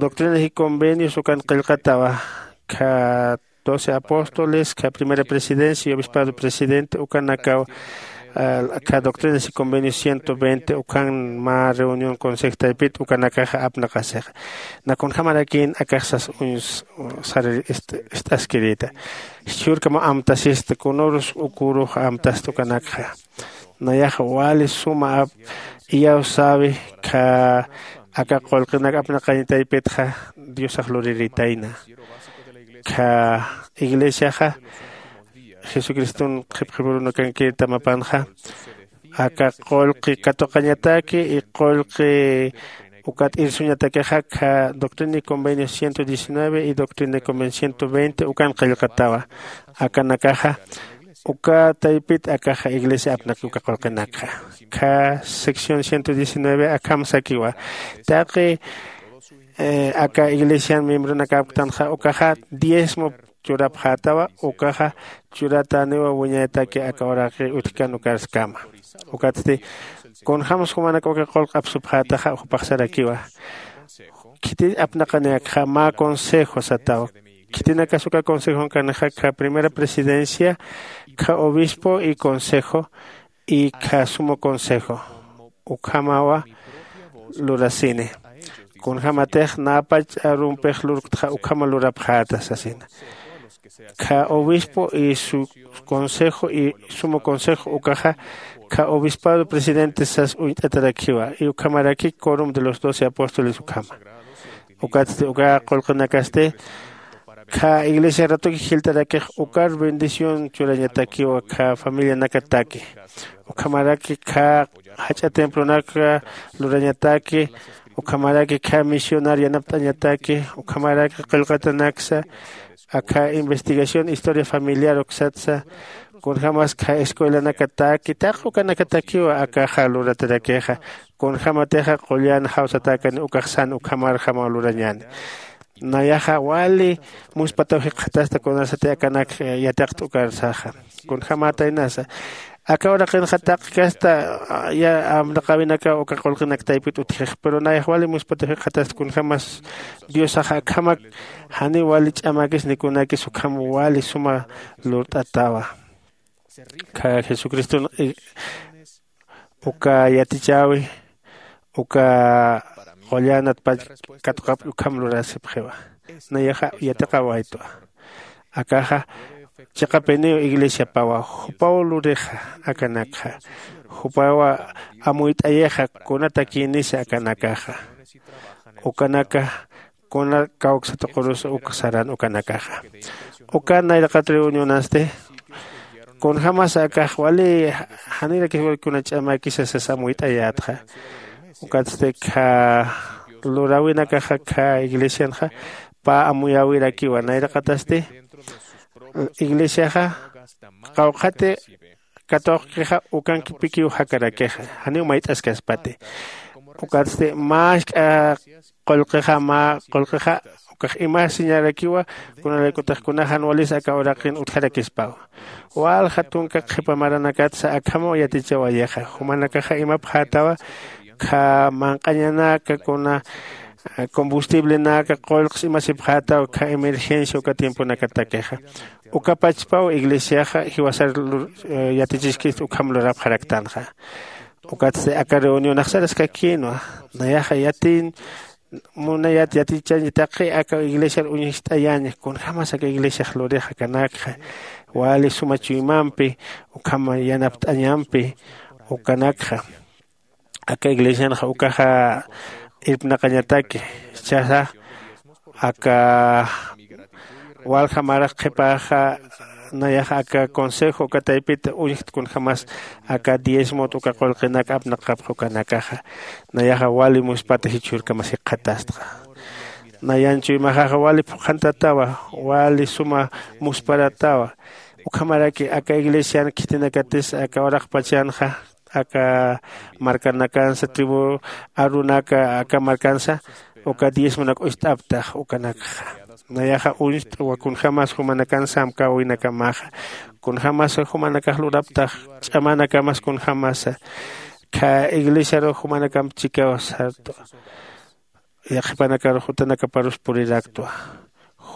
doctrinas y convenios ukan qillqatawa khä doce apóstoles khä primera presidencia y obispado presidente ukanakaw khä doctrinas y convenios ciento veinte ukan mä reunión consejo taypit ukanakaxa apnaqasixa. Nakunjamarakïn akaxsas uñs sarir ist'askirïta. Jichhürkama amtasista kunürus ukürux amtasta ukanakxa. Nayaxa wali suma ap iyawsäwi khä aka qullqinak apnaqañ taypitxa diosax luriritayna. Khä iglesiaxa jesucriston qhipqhipurunakankir tamapanxa aka qullqi katuqañataki y qullqi ukat irsuñatakixa khä doctrina y convenio ciento diecinueve y doctrina y convenio ciento veinte ukan qillqatawa. Akanakaxa uka taypit akaxa iglesia apnaki uka qullqinakxa. Khä sección ciento diecinueve akham sakiwa taqi aka iglesian miembronakapktanxa ukaxa diezmo churapxätawa ukaxa churatäniwa wiñayataki aka uraqi utjkan ukarskama. Ukatsti kunjämsa jumanak uka qullq apsupxätaxa jupax sarakiwa khitin apnaqañäkxa mä consejo sataw. Khitinakas uka consejonkanixa khä primera presidencia khä obispo y consejo y khä sumo consejo ukhamawa lurasini. Kunjämatix näpach arumpix lurktxa ukhama lurapxäta sasina. Khä obispo y su consejo y sumo consejo ukaxa kha obispado presidente sas uñt'atarakiwa y ukhamaraki corum de los doce apóstoles ukhama. Ukatsti uka qullqinakasti kha iglesia ratuki jilt'arakix ukar bendición churañatakiwa kha familianakataki. Ukhamaraki kha jach'a templonaka lurañataki, ukhamaraki kha misionar yanapt'añataki, ukhamaraki qillqatanaksa akha investigación historia familiar uksatsa, kunjämas kha escuelanakataki taq ukanakatakiwa akaxa luratarakixa. Kunjämatixa qullan jawsatäkani ukax san ukhamarjamaw lurañäni. Nayaxa wali muspatäw jikxatasta kunasati akanak yatiqta ukarsaxa. Kunjämätaynasa aka uraqinxa taqi kasta amnaqäwinakaw uka qullqinak taypit utjix, pero nayax wali muspatäw jikxatasta kunjämas diosaxa akhamak janiw wali ch'amäkis ni kunäkis ukham wali suma lurt'atawa. Kha jesucriston uka yatichäwi uka qullanat pach katuqapki ukham lurasipxiwa. Nayaxa yatiqawaytwa. Akaxa chiqapiniw iglesiapawa jupaw lurixa akanakxa. Jupawa amuyt'ayixa kunatakïnisa akanakaxa. Ukanaka kuna kawksatuqurus uk saran ukanakaxa. Uka nayraqat reunionasti kunjämas akax wali janirakis wali kuna ch'amäkisa sasa amuyt'ayätxa. Ukatsti kha luräwinakaxa kha iglesianxa pä amuyäwirakiwa nayraqatasti iglesiaxa qawqhati katuqkixa ukankipikiw jakarakixa janiw mayt'askaspati. Ukatsti mä jisk'a qullqixa mä qullqixa ukax imasiñarakiwa. Kunalaykutix kunaxan walis aka uraqin utjarakispaw walja tunka qhipa maranakatsa akhamaw yatichawayixa. Jumanakaxa imapxätawa kha manq'añanaka kuna combustiblenaka qullqs imasipxätaw kha emergencia uka tiemponakatakixa. Ukapachpaw iglesiaxa jiwasar yatichiskist ukham lurapxaraktanxa. Ukatsti aka reunión axsaraskakïnwa. Nayaxa yatiñ munayat yatichañ taqi aka iglesiar uñjt'ayañ kunjämas aka iglesiax lurix akanakxa wali suma chuymampi ukham yanapt'añampi ukanakxa. Aka iglesianxa ukaxa irpnaqañataki. Jichhaxa aka walja marax qhipaxa nayaxa aka consejo uka taypita uñjkt kunjämas aka diezmot uka qullqinak apnaqapx ukanakaxa. Nayaxa wali muspata jichhürkamas jikxatastxa. Nayan chuymaxaxa wali phuqhantatawa wali suma musparatawa. Ukhamaraki aka iglesian khitinakatis aka uraqpachanxa aka markanakansa tribu arunaka aka markansa uka diezmonak uñst'aptax ukanakxa. Nayaxa uñst'wa kunjämas jumanakan samkäwinakamaxa. Kunjämasa jumanakax luraptax ch'amanakamas kunjämasa kha iglesiaru jumanakamp chikaw sartwa. Yaqhipanakaru jutanakaparus puriraktwa.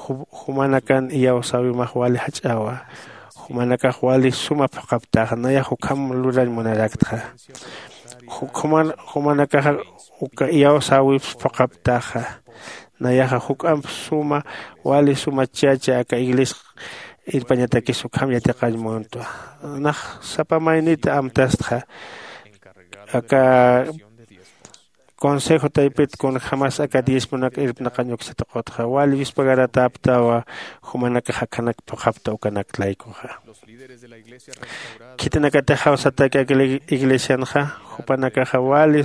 Jumanakan iyawsäwimax wali jach'awa. Jumanakax wali suma phuqhaptaxa nayax ukham lurañ munaraktxa. Jumanakaxa uka iyawsäwips phuqhaptaxa. Nayaxa juk'amp suma wali suma chacha aka iglesia irpañatakis ukham yatiqañ muntwa. Nax sapa maynita amtastxa aka consejo taypit kunjämas aka diezmonak irpnaqañ uksata qutxa wali yuspagaratäptawa. Jumanakax akhanak phuqhapta ukanak laykuxa. Khitinakatix jawsataki aka iglesianxa jupanakaxa wali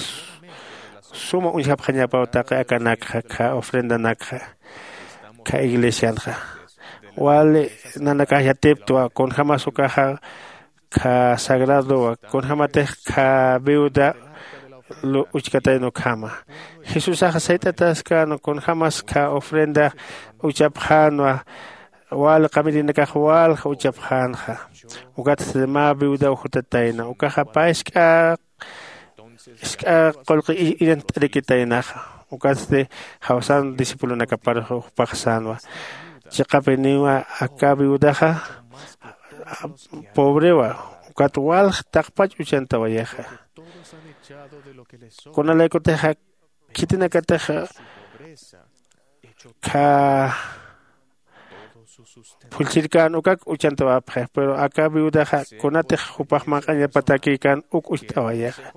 suma uñjapxañapaw taqi akanakxa kha ofrendanakxa kha iglesianxa. Wali nanakax yatiptwa kunjämas ukaxa kha sagradowa kunjämatix kha viuda uchkatayna ukhama. Jesusaxa sayt'ataskänwa kunjämas kha ofrenda uchapxänwa. Wal qamirinakax walja uchapxänxa. Ukatsti mä viudaw jutatayna ukaxa pä jisk'a jisk'a qullqi iñant'arikitaynaxa. Ukatsti jawsan discipulonakaparux jupax sänwa. Chiqapiniwa aka viudaxa pobrewa ukat walj taqpach uchantawayixa. Kunalaykutixa khitinakatixa kha phullchirkän ukak uchantawapxi. Pero aka viudaxa kunatix jupax manq'añapatakïkän uk ucht'awayixa.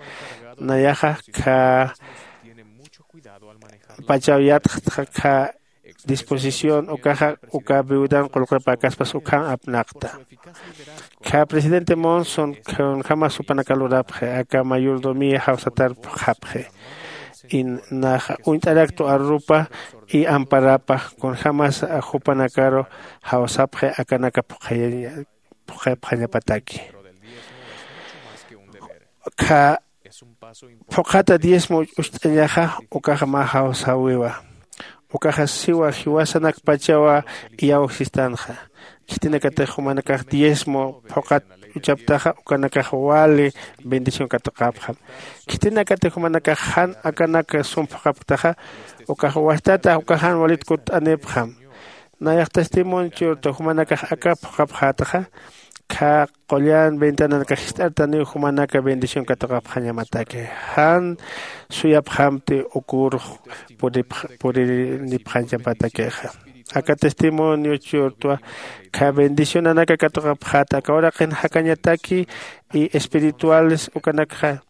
Nayaxa kha pachaw yatxtxa kha disposición ukaxa uka viudan qullqipäkaspas ukham apnaqta. Kha presidente Monson kunjämas jupanaka lurapxi aka mayordomía jawsatar phuqhapxi. Naxa uñt'araktwa arrupa y amparapa kunjämas jupanakaru jawsapxi akanaka phuqhapxañapataki. Kha phuqhata diezmo ucht'añaxa ukaxa mä jawsäwiwa. Ukaxa siwa jiwasanakpachawa iyawsistanxa. Khitinakatix jumanakax diezmo phuqhat uchaptaxa ukanakax wali bendición katuqapxam. Khitinakatix jumanakax jan akanak sum phuqhapktaxa ukax wajtata uka jan walit kutt'anipxam. Nayax testimonio churta jumanakax aka phuqhapxätaxa kha qullan ventananakax jist'artaniw jumanaka bendición katuqapxañamataki. Jan suyapxamti ukur purinipxañchapatakixa. Aka testimonio churtwa kha bendicionanaka katuqapxäta aka uraqin jakañataki y espirituales ukanakxa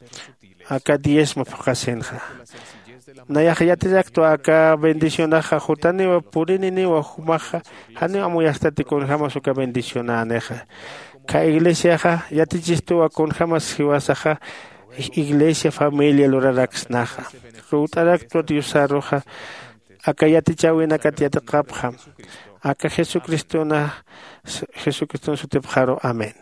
aka diezmo phuqhasinxa. Nayax yatillaktwa aka bendicionaxa jutaniwa purininiwa jumaxa janiw amuyastati kunjämas uka bendicionänixa. Kha iglesiaxa yatichistuwa kunjämas jiwasaxa iglesia familia luraraksnaxa. Ruwt'araktwa diosaruxa aka yatichäwinakat yatiqapxam. Aka jesucristona jesucriston sutipxaru amén.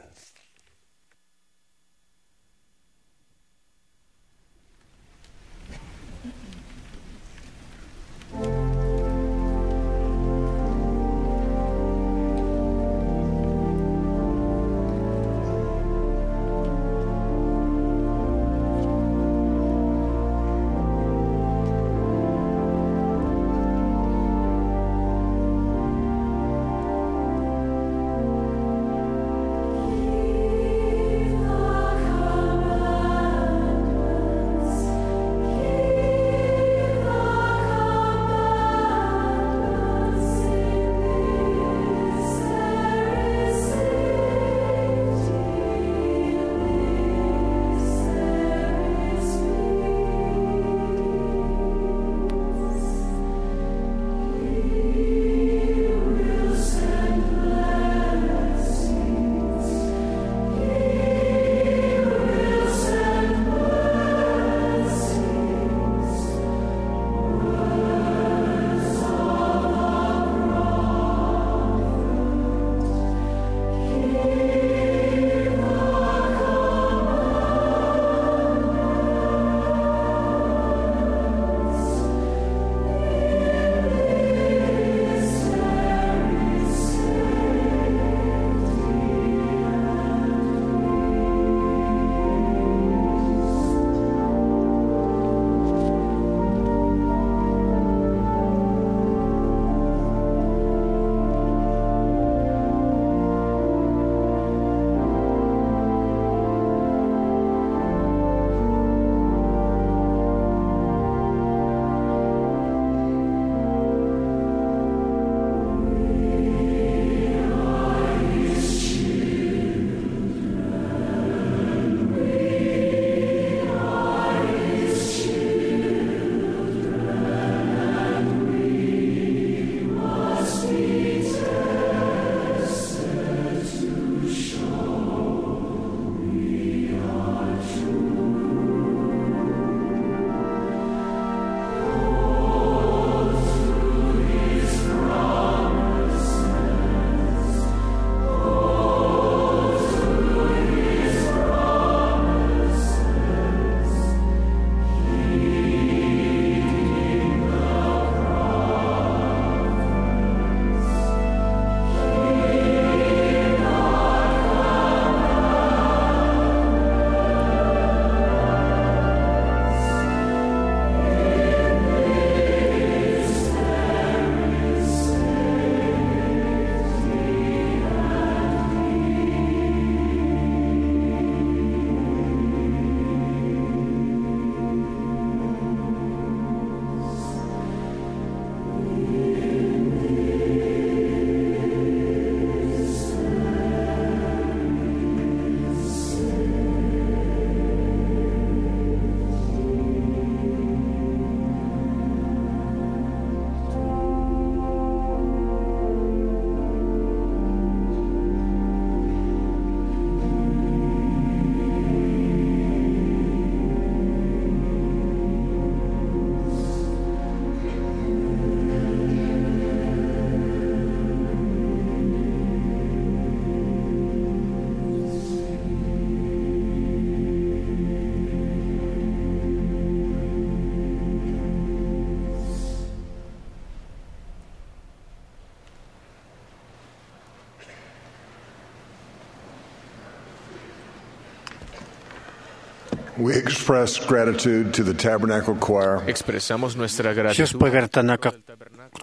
We express gratitude to the Tabernacle Choir. Expresamos nuestra gratitud. Yuspagartanaka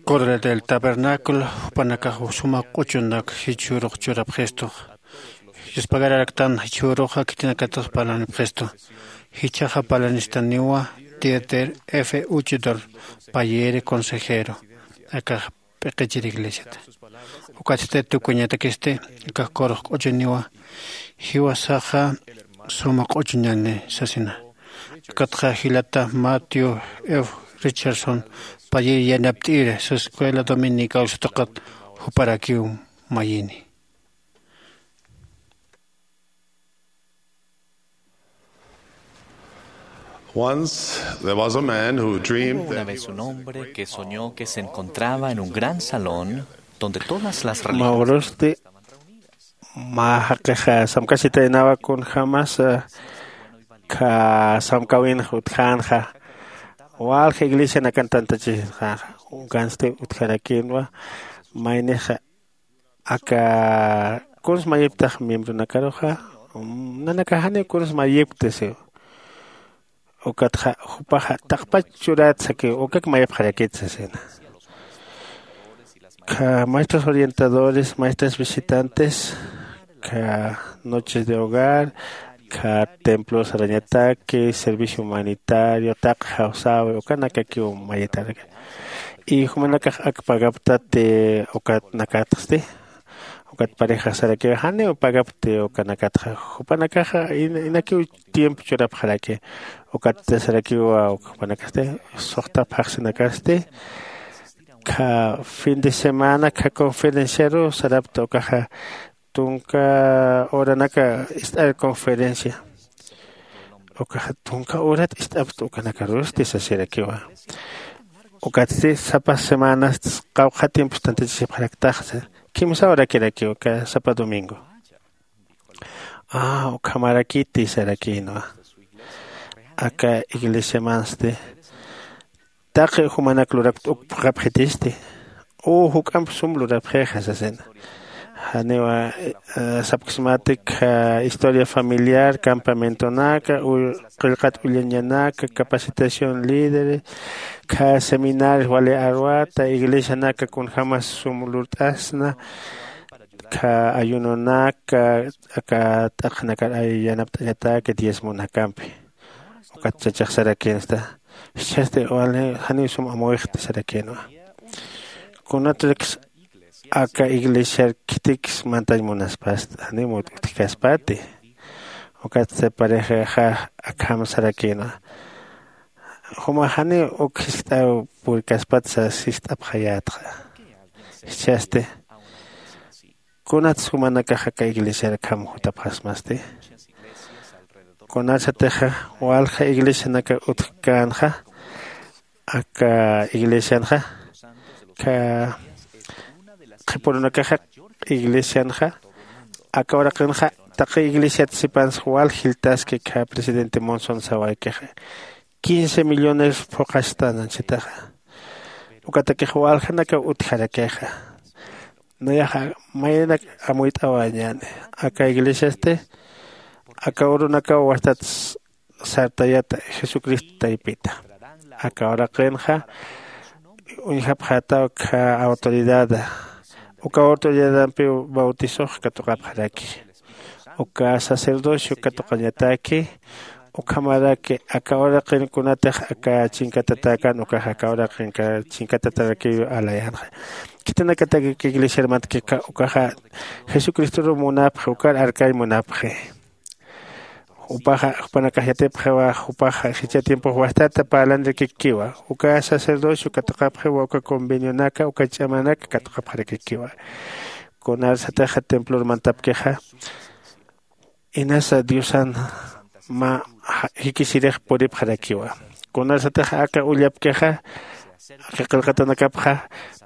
Coro del Tabernáculo, jupanakax suma q'uchunak jichhürux churapxistu. Yuspagararaktan jichhüruxa khitinakatix parlanipxistu. Jichhaxa parlanistaniwa Dieter F. Uchtdorf, payïri consejero. Akax p'iqichir iglesiata. Ukatsti tukuñatakisti, akax corux q'uchuniwa, jiwasaxa suma q'uchuñani sasina. Ukatxa jilata Matthew F. Richardson, payïr yanapt'ir Escuela Dominical sutaqat juparakiw mayini. Once there was a man who dreamed. Hubo una that vez un hombre que soñó que se encontraba en un gran salón donde todas las religiones. Mä urusti mä jaqixa samkasitaynawa kunjämas kha samkawinxa utjänxa walja iglesianakan tantachisxänxa. Ukansti utjarakïnwa maynixa aka kuns mayiptax miembronakaruxa nanakax janiw kuns mayipkti siw. Ukatxa jupaxa taqpach churätsa ki ukak mayipxarakit sasina. Kha maestros orientadores, maestras visitantes, kha noches de hogar, kha templo sarañataki, servicio humanitario, taqi jawsäwi ukanakakiw mayitarak. Y jumanakax ak pagaptati ukat nakatxsti ukat pareja sarakiwa janiw pagapti ukanakatxa jupanakaxa inakiw tiempo churapxaraki. Ukat sarakiwa jupanakasti suxta phaxsinakasti kha fin de semana kha conferenciaru sarapta ukaxa tunka horanaka ist'ar conferencia. Ukaxa tunka horat ist'apxta ukanakarusti sasirakiwa. Ukatsti sapa semanas qawqha tiempos tantachasipxaraktaxa kimsa horakirakiw uka sapa domingo. Ukhamarakiti sarakïnwa aka iglesiamansti taqi jumanak lurakta uk phuqhapxitisti u juk'amp sum lurapxixa sasina. Janiwa sapksmatik historia familiar campamentonaka qillqat ullañanaka capacitación líderes kha seminarios wali arwata iglesianaka kunjämas sum lurt'asna kha ayunonaka aka t'aqhanakar yanapt'añataki diezmonakampi. Ukat chachax sarakïnsta jichhasti wali janiw sum amuyxti sarakïnwa. Kunatrakis aka iglesiar khitiks mantañ munaspasta janiw utjkaspati. Ukat parejaxa akham sarakïnwa juma janiw uk jiskt'aw purkaspatsa sist'apxayätxa. Jichhasti kunats jumanakax aka iglesiar akham jutapxasmasti? Kunarsatixa walja iglesianaka utjkänxa aka iglesianxa kha qhipürunakaxa iglesianxa aka uraqinxa taqi iglesiat sipansa wal jiltaski kha presidente monson sawaykixa quince millones phuqhastan anchitaxa. Ukatakix waljanakaw utjarakixa. Nayaxa mayanak amuyt'awañäni aka iglesiasti aka urunakaw wastat sartayata jesucristo taypita. Aka uraqinxa uñjapxätaw kha autoridada uka autoridadampiw bautisox katuqapxaraki. Uka sacerdocio katuqañataki ukhamaraki aka uraqin kunatix aka chinkatatäkän ukax aka uraqin chinkatatärakiw alayänxa. Khitinakatak iglesiar mantkika ukaxa jesucristoruw munapxi ukar arkañ munapxi. Jupaxa jupanakax yatipxiwa jupaxa jichha tiempox wastata parlanirakikiwa uka sacerdocio katuqapxiwa uka convenionaka uka ch'amanaka katuqapxarakikiwa. Kunarsatixa templor mantapkixa inasa diosan mä jikisirix puripxarakiwa. Kunarsatixa aka ullapkixa aka qillqatanakapxa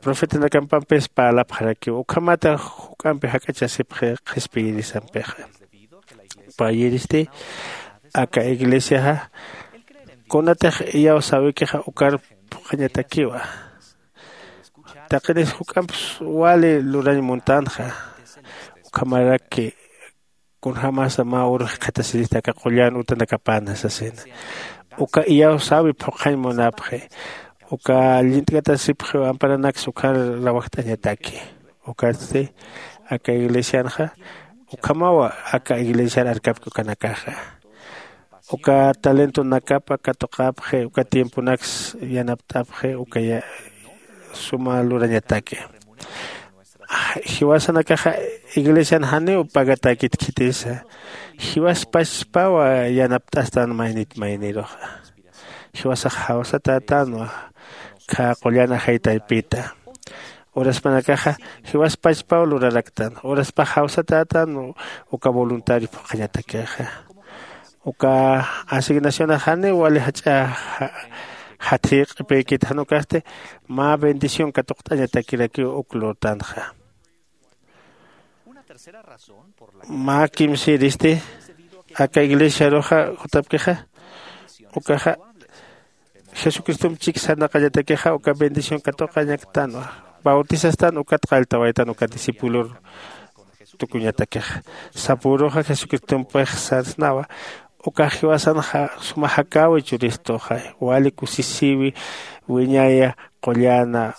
profetanakampampis parlapxarakiwa ukhamata juk'ampi jak'achasipxi qhispiyirisampixa. Payïristi aka iglesiaxa kunatix iyawsäwikixa ukar phuqhañatakiwa. Taqinis juk'amps wali lurañ muntänxa. Ukhamaraki kunjämasa mä uru jikxatasirista aka qullan utanakapana sasina. Uka iyawsäwi phuqhañ munapxi. Uka llint'katasipxiw amparanaksa ukhar rawajt'añataki. Ukatsti aka iglesianxa ukhamawa aka iglesiar arkapki ukanakaxa. Uka talentonakapa katuqapxi uka tiemponaks yanapt'apxi uka suma lurañataki. Jiwasanakaxa iglesian janiw pagatäkit khitisa. Jiwaspachpawa yanapt'astan maynit mayniruxa. Jiwasax jawsatätänwa khä qullan ajay taypita. Uraspanakaxa jiwaspachpaw luraraktan uraspax jawsatätänwa. Uka voluntario phuqhañatakixa uka asignacionax janiw wali jach'a jathiy q'ipïkit jan ukasti mä bendición katuqt'añatakirakiw uk lurtanxa. Mä kimsïristi aka iglesiaruxa jutapkixa ukaxa jesucristomp chik sarnaqañatakixa uka bendición katuqañaktanwa. Bautisastan ukat qalltawaytan uka discipulor tukuñatakixa. Sapuruxa jesucristompix sarsnawa ukax jiwasan suma jakäwi churistuxa wali kusisïwi wiñaya qullana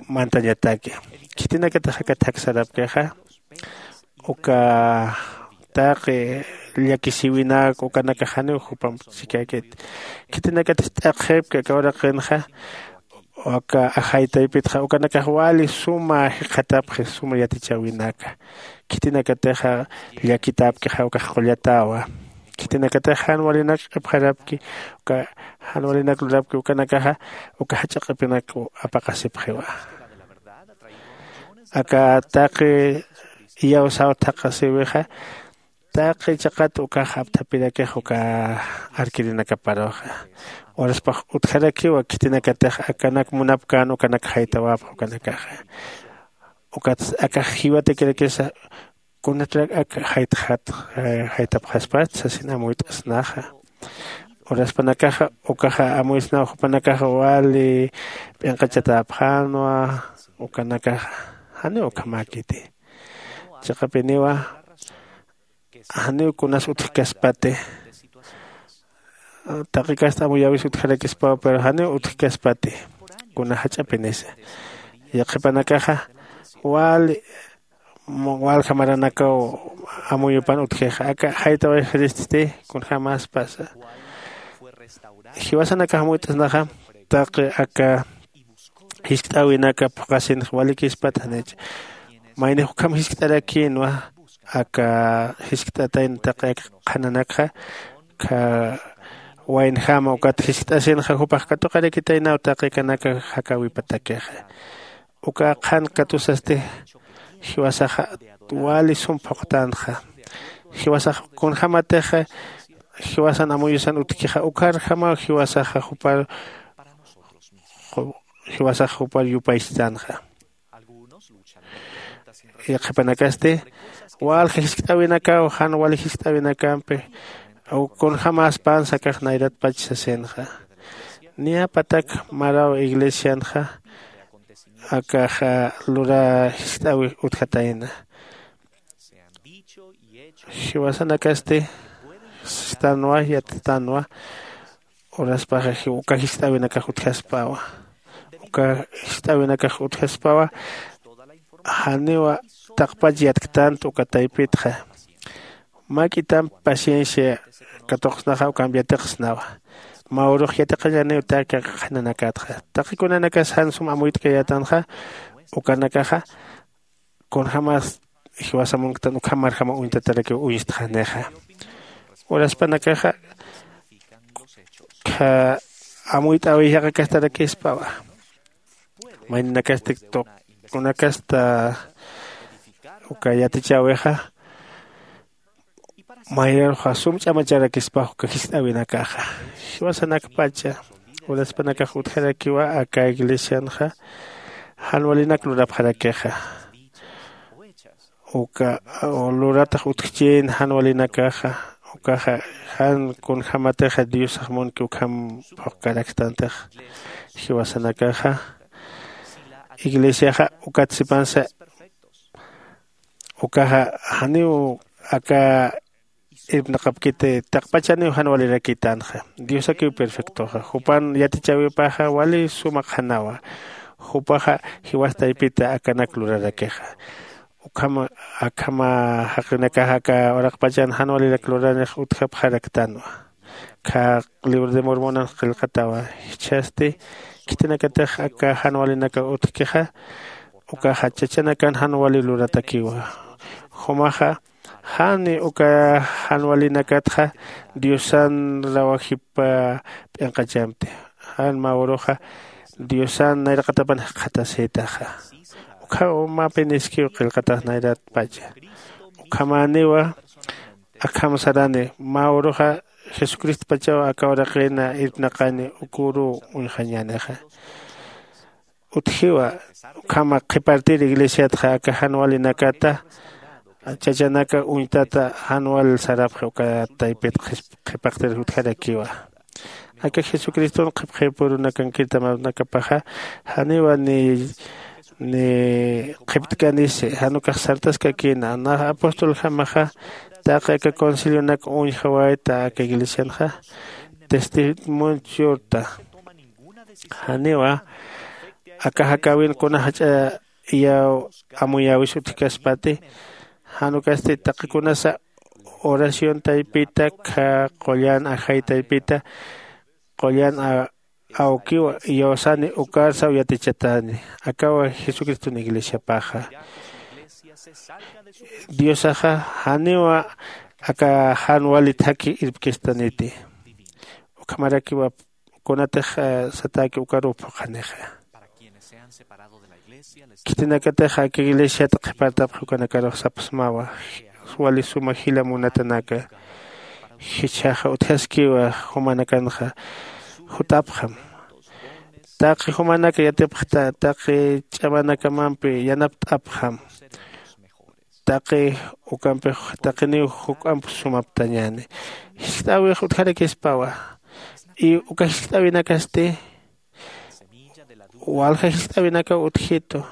mantañataki. Khitinakatix aka thak sarapkixa uka taqi llakisïwinak ukanakax janiw jupamp chikäkit. Khitinakatix t'aqxipki aka uraqinxa aka ajay taypitxa ukanakax wali suma jikxatapxi suma yatichäwinaka. Khitinakatixa llakitapkixa ukax qullatawa. Khitinakatix jan walinak q'ipxarapki uka jan walinak lurapki ukanakaxa uka jach'a q'ipinak apaqasipxiwa. Aka taqi iyawsaw thaqhasïwixa taqi chiqat ukax apthapirakix uka arkirinakaparuxa. Uraspax utjarakiwa khitinakatix akanak munapkän ukanak jaytawapxa ukanakaxa. Ukatsa akax jiwatakirakisa kunatrak ak jaytxat jaytapxaspat sasin amuyt'asnaxa. Uraspanakaxa ukaxa amuysnaw jupanakaxa wali p'inqachatäpxänwa. Ukanakaxa janiw ukhamäkiti. Chiqapiniwa janiw kunas utjkaspati. Taqi kasta amuyäwis utjarakispaw pero janiw utjkaspati kuna jach'apinisa. Yaqhipanakaxa wali walja maranakaw amuyupan utjixa aka jaytawayxiristi kunjämäspasa. Jiwasanakax amuyt'asnaxa taqi aka jiskt'äwinaka phuqhasinx walikispat janicha. Maynix ukham jiskt'arakïnwa aka jiskt'atayna taqi aka qhananakxa waynjama ukat jiskt'asinxa jupax katuqarakitaynaw taqi kanaka jakäwipatakixa. Uka qhan katusasti jiwasaxa wali sum phuqtänxa. Jiwasax kunjämatixa jiwasan amuyusan utjkixa ukharjamaw jiwasaxa jupar jiwasax jupar yupaychtänxa. Yaqhipanakasti walja jiskt'äwinakaw jan wali jiskt'äwinakampi kunjämäspansa akax nayratpach sasinxa. Niyapatak maraw iglesianxa akaxa lura jiskt'äwi utjatayna. Jiwasanakasti sistanwa yatitanwa. Uraspaxa uka jiskt'äwinakax utjaspawa. Uka jiskt'äwinakax utjaspawa janiwa taqpach yatktant uka taypitxa. Mä k'itamp paciencia katuqsnaxa ukamp yatiqsnawa. Mä urux yatiqañaniw taqi qhananakatxa taqi kunanakas jan sum amuyt'kayätanxa ukanakaxa kunjämas jiwasa munktan ukhamarjama uñtatarakiw uñstxanixa. Uraspanakaxa amuyt'äwi yaqakastarakispawa. Mayninakasti tuqunakasta uka yatichäwixa mayraruxa sum ch'amacharakispax uka jiskt'äwinakaxa. Jiwasanakpacha uraspanakax utjarakiwa aka iglesianxa jan walinak lurapxarakixa. Uka luratax utjchïn jan walinakaxa ukaxa jan kunjämatixa diosax munki ukham phuqkaraktantix. Jiwasanakaxa iglesiaxa ukat sipansa ukaxa janiw aka irpnaqapkiti taqpachaniw jan walirakïtanxa. Diosakiw perfectoxa, jupan yatichäwipaxa wali suma qhanawa. Jupaxa jiwas taypita akanak lurarakixa. Ukhama akhama jaqinakax aka uraqpachan jan walirak luranix utjapxaraktanwa. Khä libro de mormonan qillqatawa. Jichhasti khitinakatix aka jan walinaka utjkixa, ukaxa chachanakan jan wali luratakiwa. Jumaxa jan uka jan walinakatxa diosan rawajip p'inqachamti. Jan mä uruxa diosan nayraqatapan jikxatasïtaxa. Ukham mä piniskiw qillqatax nayratpacha. Ukhamäniwa akham sarani mä uruxa jesucristopachaw aka uraqina irpnaqani uk uruw uñjañänixa. Utjiwa ukhama qhipartir iglesiatxa aka jan walinakata chachanaka uñtata jan wal sarapxi uka taypit qhipaqtir utjarakiwa. Aka jesucriston qhipxipurunakankirtamanakapaxa janiwa ni ni qhiptkanisi jan ukax sartaskakïna. Nax apostoljamaxa taqi aka concilionak uñjawayta aka iglesianxa testimonio churta. Janiwa aka jakäwin kuna jach'a iyaw amuyäwis utjkaspati. Jan ukasti taqikunasa oración taypita khä qullan ajay taypita qullan awkiw iyawsani ukarsaw yatichatäni. Akawa jesucriston iglesiapaxa diosaxa janiwa aka jan wali thakhi irpkistaniti. Ukhamarakiwa kunatix satäki ukaruw phuqhanixa. Khitinakatix aka iglesiat qhipartapxi ukanakarux sapxsmawa wali suma jila munatanaka. Jichhaxa utjaskiwa jumanakanxa jutapxam. Taqi jumanaka yatipxta taqi ch'amanakamampi yanapt'apxam. Taqi ukampix taqiniw juk'amp sumaptañäni. Jiskt'äwix utjarakispawa. Y uka jiskt'äwinakasti walja jiskt'äwinakaw utjitu.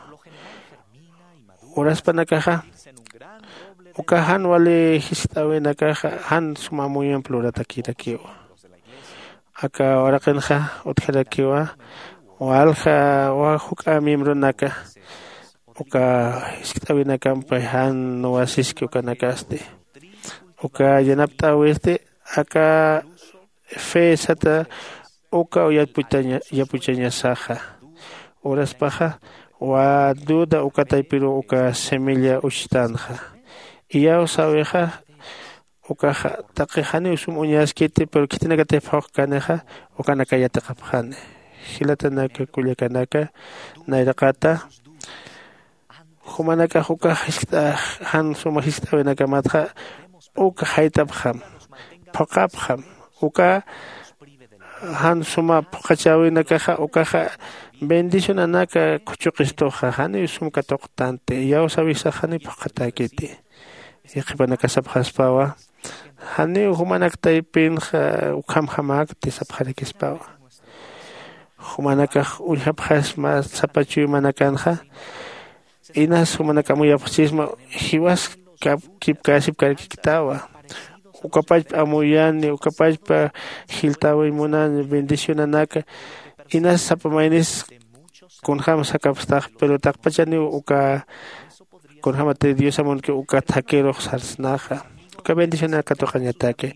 Uraspanakaxa uka jan wali jiskt'äwinakaxa jan suma amuyamp luratakirakiwa. Aka uraqinxa utjarakiwa walja wä juk'a miembronaka uka jiskt'äwinakampi jan nuwasiski ukanakasti. Uka yanapt'äwisti aka fe sata uka yapuchañasaxa. Uraspaxa wä duda uka taypiruw uka semilla uchtanxa. Iyawsäwixa ukaxa taqi janiw sum uñaskiti pero khitinakatix phuqkanixa ukanaka yatiqapxani. Jilatanaka kullakanaka nayraqata jumanakax ukax jiskt'a jan suma jiskt'äwinakamatxa uka jayt'apxam phuqhapxam. Uka jan suma phuqhachäwinakaxa ukaxa bendicionanaka khuchuqistuxa janiw sum katuqtanti. Iyawsäwisax janiw phuqhatäkiti. Yaqhipanaka sapxaspawa janiw jumanak taypinxa ukhamjamäkti sapxarakispawa. Jumanakax uñjapxasma sapa chuymanakanxa inas jumanak amuyapxchisma jiwas kipkäsipkarkiktawa. Ukapachpa amuyani ukapachpa jiltäwiñ munani bendicionanaka inas sapa maynis kunjäm sakapstax pero taqpachaniw uka kunjämati diosa munki uka thakirux sarsnaxa. Uka bendicionar katuqañataki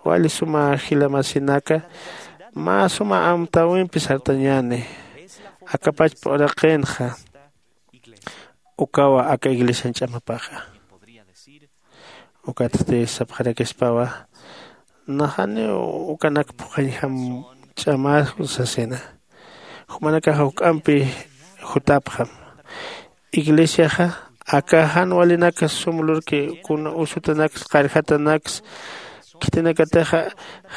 wali suma jilamasinaka mä suma amtäwimpi sartañäni. Akapachpa uraqinxa ukawa aka iglesian ch'amapaxa. Ukatsti sapxarakispawa naxaniw ukanak phuqhañjam ch'amäsku sasina. Jumanakaxa juk'ampi jutapxam. Iglesiaxa aka jan walinaka sum lurki kuna usutanaks qarjatanaks khitinakatixa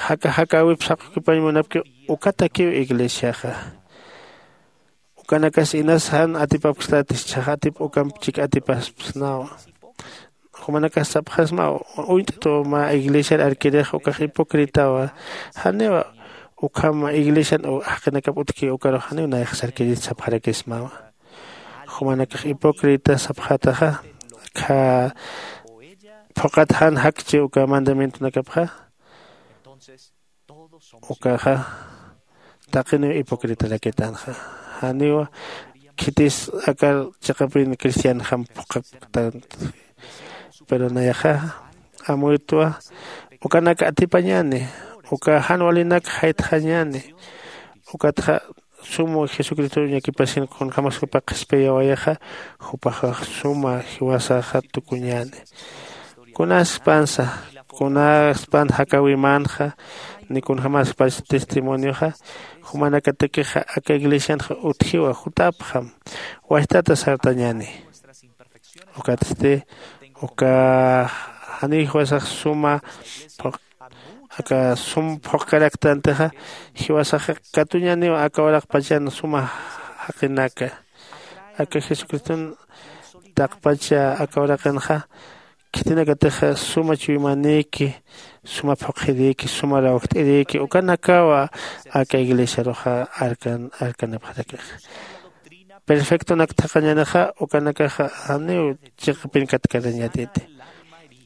jaka jakäwip saqukipañ munapki. Ukatakiw iglesiaxa ukanakas inas jan atipapkstati jichhax atip ukamp chik atipaspsnawa. Jumanakas sapxasmaw uñt'atuw mä iglesiar arkirix ukax hipócritawa. Janiwa ukham iglesian jaqinakap utjki ukarux janiw nayxsarkirit sapxarakismawa. Jumanakax hipócrita sapxataxa kha phuqhat jan jakchi uka mandamientonakapxa. Ukaxa taqiniw hipocritarakitanxa. Janiwa khitis akar chiqapin cristianjam phuqhaktan. Pero nayaxa amuytwa ukanak atipañäni. Uka jan walinak jaytxañäni. Ukatxa sum jesucristo ñakipasin kunjämas jupa qhispiyawayaxa jupaxa suma jiwasaxa tukuñäni. Kunaspansa kunaspan jakäwimänxa ni kunjämaspach testimonioxa jumanakatakixa aka iglesianxa utjiwa jutapxam. Wajtata sartañäni. Ukatsti uka janiw jiwasax suma phuq aka sum phuqkaraktantixa jiwasaxa katuñäniw aka uraqpachan suma jaqinaka. Aka jesucriston taqpacha aka uraqinxa khitinakatixa suma chuymanïki suma phuqhirïki suma rawjt'irïki ukanakawa aka iglesiaruxa arkan arkanipxarakixa. Perfectonak thaqhañänixa ukanakaxa janiw chiqapin katkarañätiti.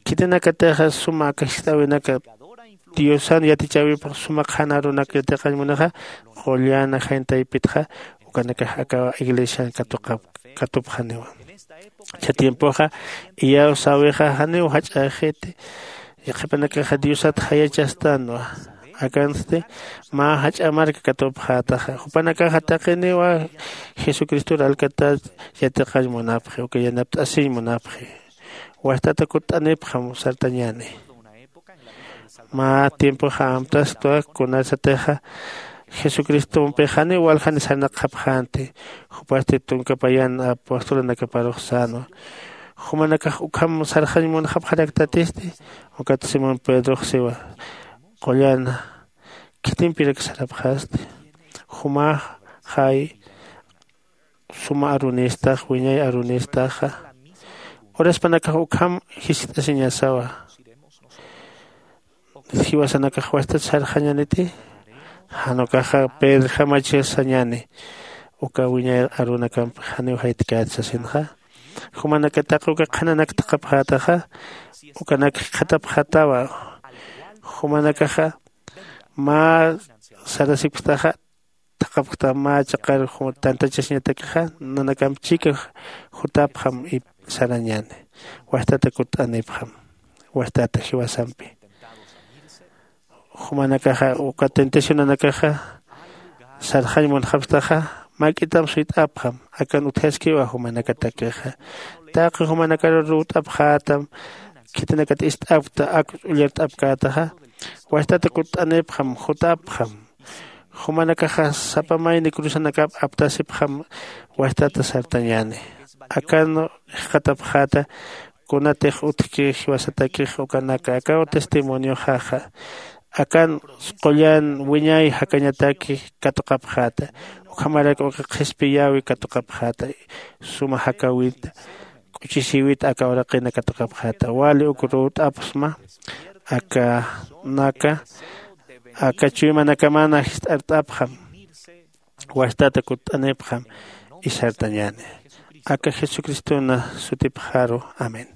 Khitinakatixa suma aka jist'äwinaka diosan yatichäwipx suma qhanarunak yatiqañ munixa qullan ajayna taypitxa ukanakax aka iglesian katuqap katupxaniwa. Cha tiempoxa iyawsäwixa janiw jach'äxiti. Qhipanakaxa diosat jayachastanwa. Akansti mä jach'a marka katupxätaxa jupanakaxa taqiniwa jesucristor alkatat yatiqañ munapxi uka yanapt'asiñ munapxi. Wajtata kutt'anipxam sartañäni. Mä tiempoxa amtastwa kunasatixa jesucristompix janiw waljani sarnaqxapxänti. Jupasti tunka payan apostolanakaparux sänwa. Jumanakax ukham sarxañ munxapxaraktatisti. Ukat simón pedrox siwa qullana khitimpirak sarapxasti? Jumax jay suma arunistax wiñay arunistaxa. Uraspanakax ukham jiskt'asiñasawa. Jiwasanakax wajtat sarxañaniti? Jan ukaxa pedrjamach sañäni. Uka wiñay arunakampi janiw jaytkät sasinxa. Jumanakataq uka qhananak thaqhapxätaxa ukanak jikxatapxätawa. Jumanakaxa mä sarasipktaxa thaqhapkta mä chiqar tantachasiñatakixa nanakamp chika jutapxam sarañäni. Wajtata kutt'anipxam wajtata jiwasampi. Jumanakaxa uka tentacionanakaxa sarxañ munxapktaxa mäk'itam suyt'apxam. Akan utjaskiwa jumanakatakixa taqi jumanakaru ruwt'apxätam. Khitinakat ist'apkta ak ullart'apkätaxa wajtata kutt'anipxam jutapxam. Jumanakaxa sapa mayni cruzanakap aptasipxam. Wajtata sartañäni akan jikxatapxäta. Kunatix utjki jiwasatakix ukanaka akaw testimonioxaxa akan qullan wiñay jakañataki katuqapxäta. Ukhamarak uka qhispiyäwi katuqapxäta suma jakäwit k'uchisïwit aka uraqina katuqapxäta wali uk ruwt'apxsma. Akanaka aka chuymanakaman jist'art'apxam. Wajtata kutt'anipxam isartañäni aka jesucristona sutipxaru. Amén.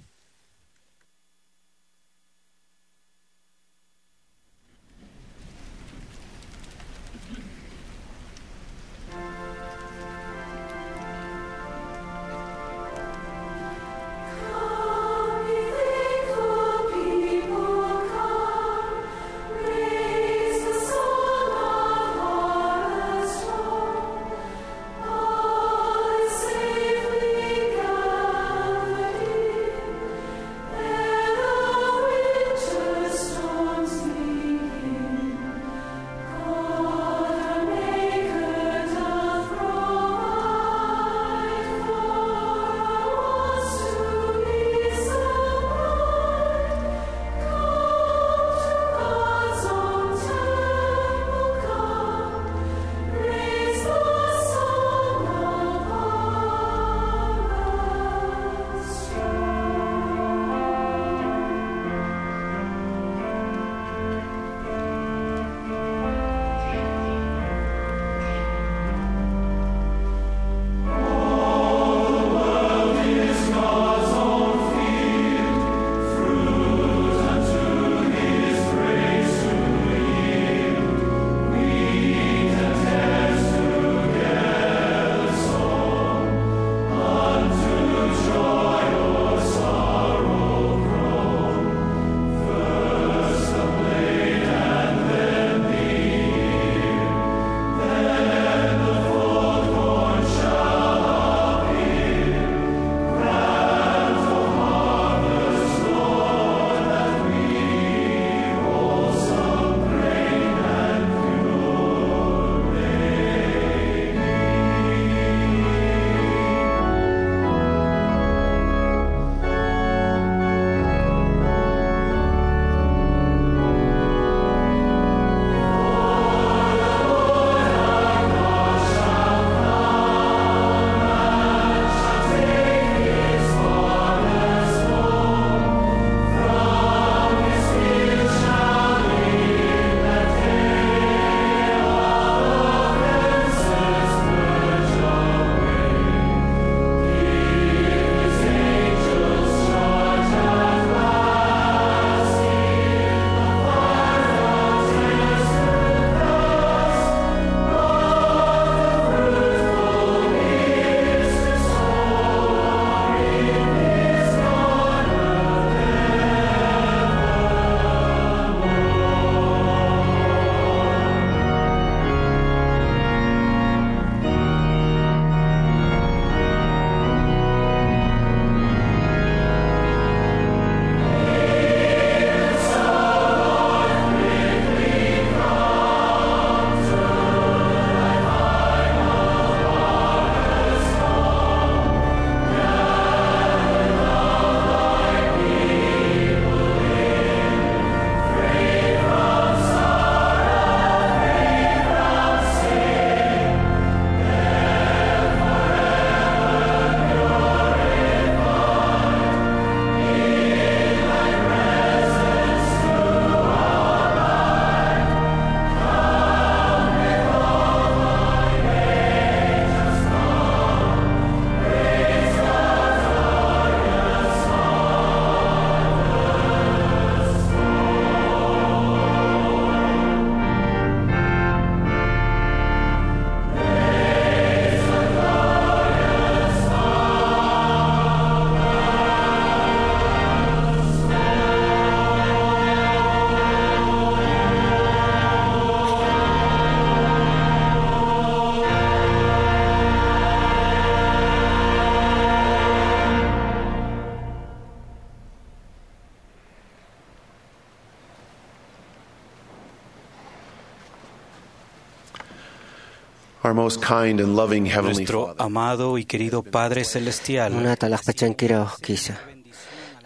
Most kind and loving Heavenly Nuestro Father. Amado y querido Padre Celestial. Munata alaxpachankiraw jukisa.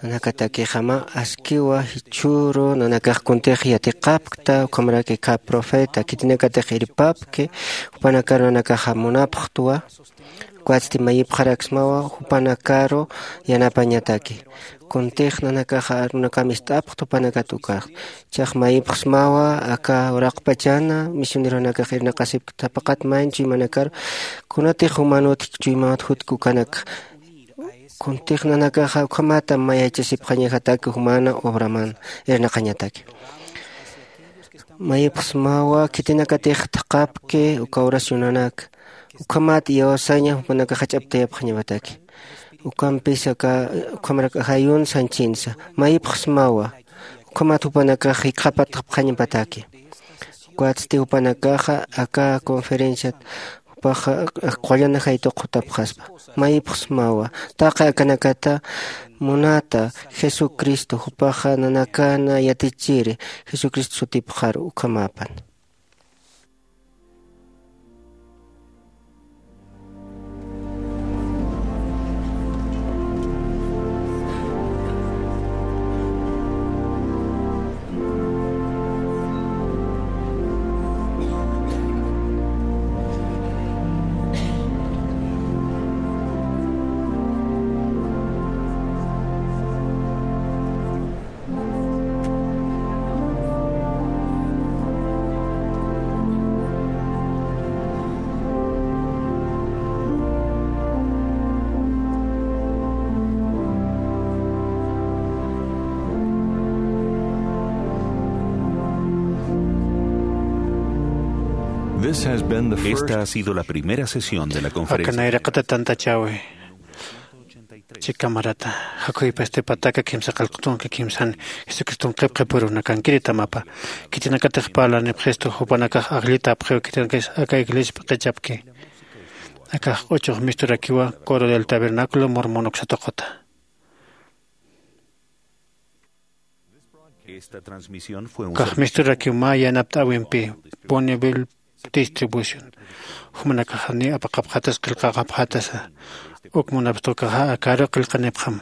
Nanakatakixama askiwa jichhüru nanakax kuntix yatiqapkta, ukhamaraki khä profeta, khitinakatix irpapki, jupanakaru nanakaxa munapxtwa, ukatsti mayipxaraksmawa jupanakaru yanapañataki. Kuntix nanakaxa arunakam ist'apxt jupanakat ukax. Chax mayipxsmawa aka uraqpachana misioneronakax irnaqasipkta paqat mayn chuymanakaru, kunatix jumanut chuymanut jutki ukanakxa. Kuntix nanakaxa ukhamata mayachasipxañajataki jumana obraman irnaqañataki. Mayipxsmawa khitinakatix thaqhapki uka oracionanak, ukhamat iyawsaña jupanakax jach'aptayapxañapataki. Ukampis aka ukhamarak ajayun sañchinsa mayipxsmawa, ukhamat jupanakax jikxapatxapxañapataki. Ukatsti jupanakaxa aka conferenciat jupaxa qullan ajaytuq jutapxaspa. Mayipxsmawa taqi akanakata munata Jesucristo, jupaxa nanakana yatichiri Jesucristo sutipxaru ukhamapan. This has been the first. Esta ha sido la primera sesión de la conferencia. Aka nayraqata tantachäwi. Chikamarata. Jakhuypasti pataka kimsa qillqtunka kimsan Jesucriston qhipqhipüruna kankirita mapa. Khitinakatix parlanipxistu jupanakax ajllitapxiw khitinakis aka iglesia p'iqichapki. Akax q'uchux misturakiwa Coro del Tabernáculo Mormon uksatuquta. Esta transmisión fue un. Ukax misturakiw mä yanapt'äwimpi Bonneville Distribution. Jumanakaxani apaqapxatas qillqaqapxatasa. Uk munapxta ukaxa akaru qillqanipxam.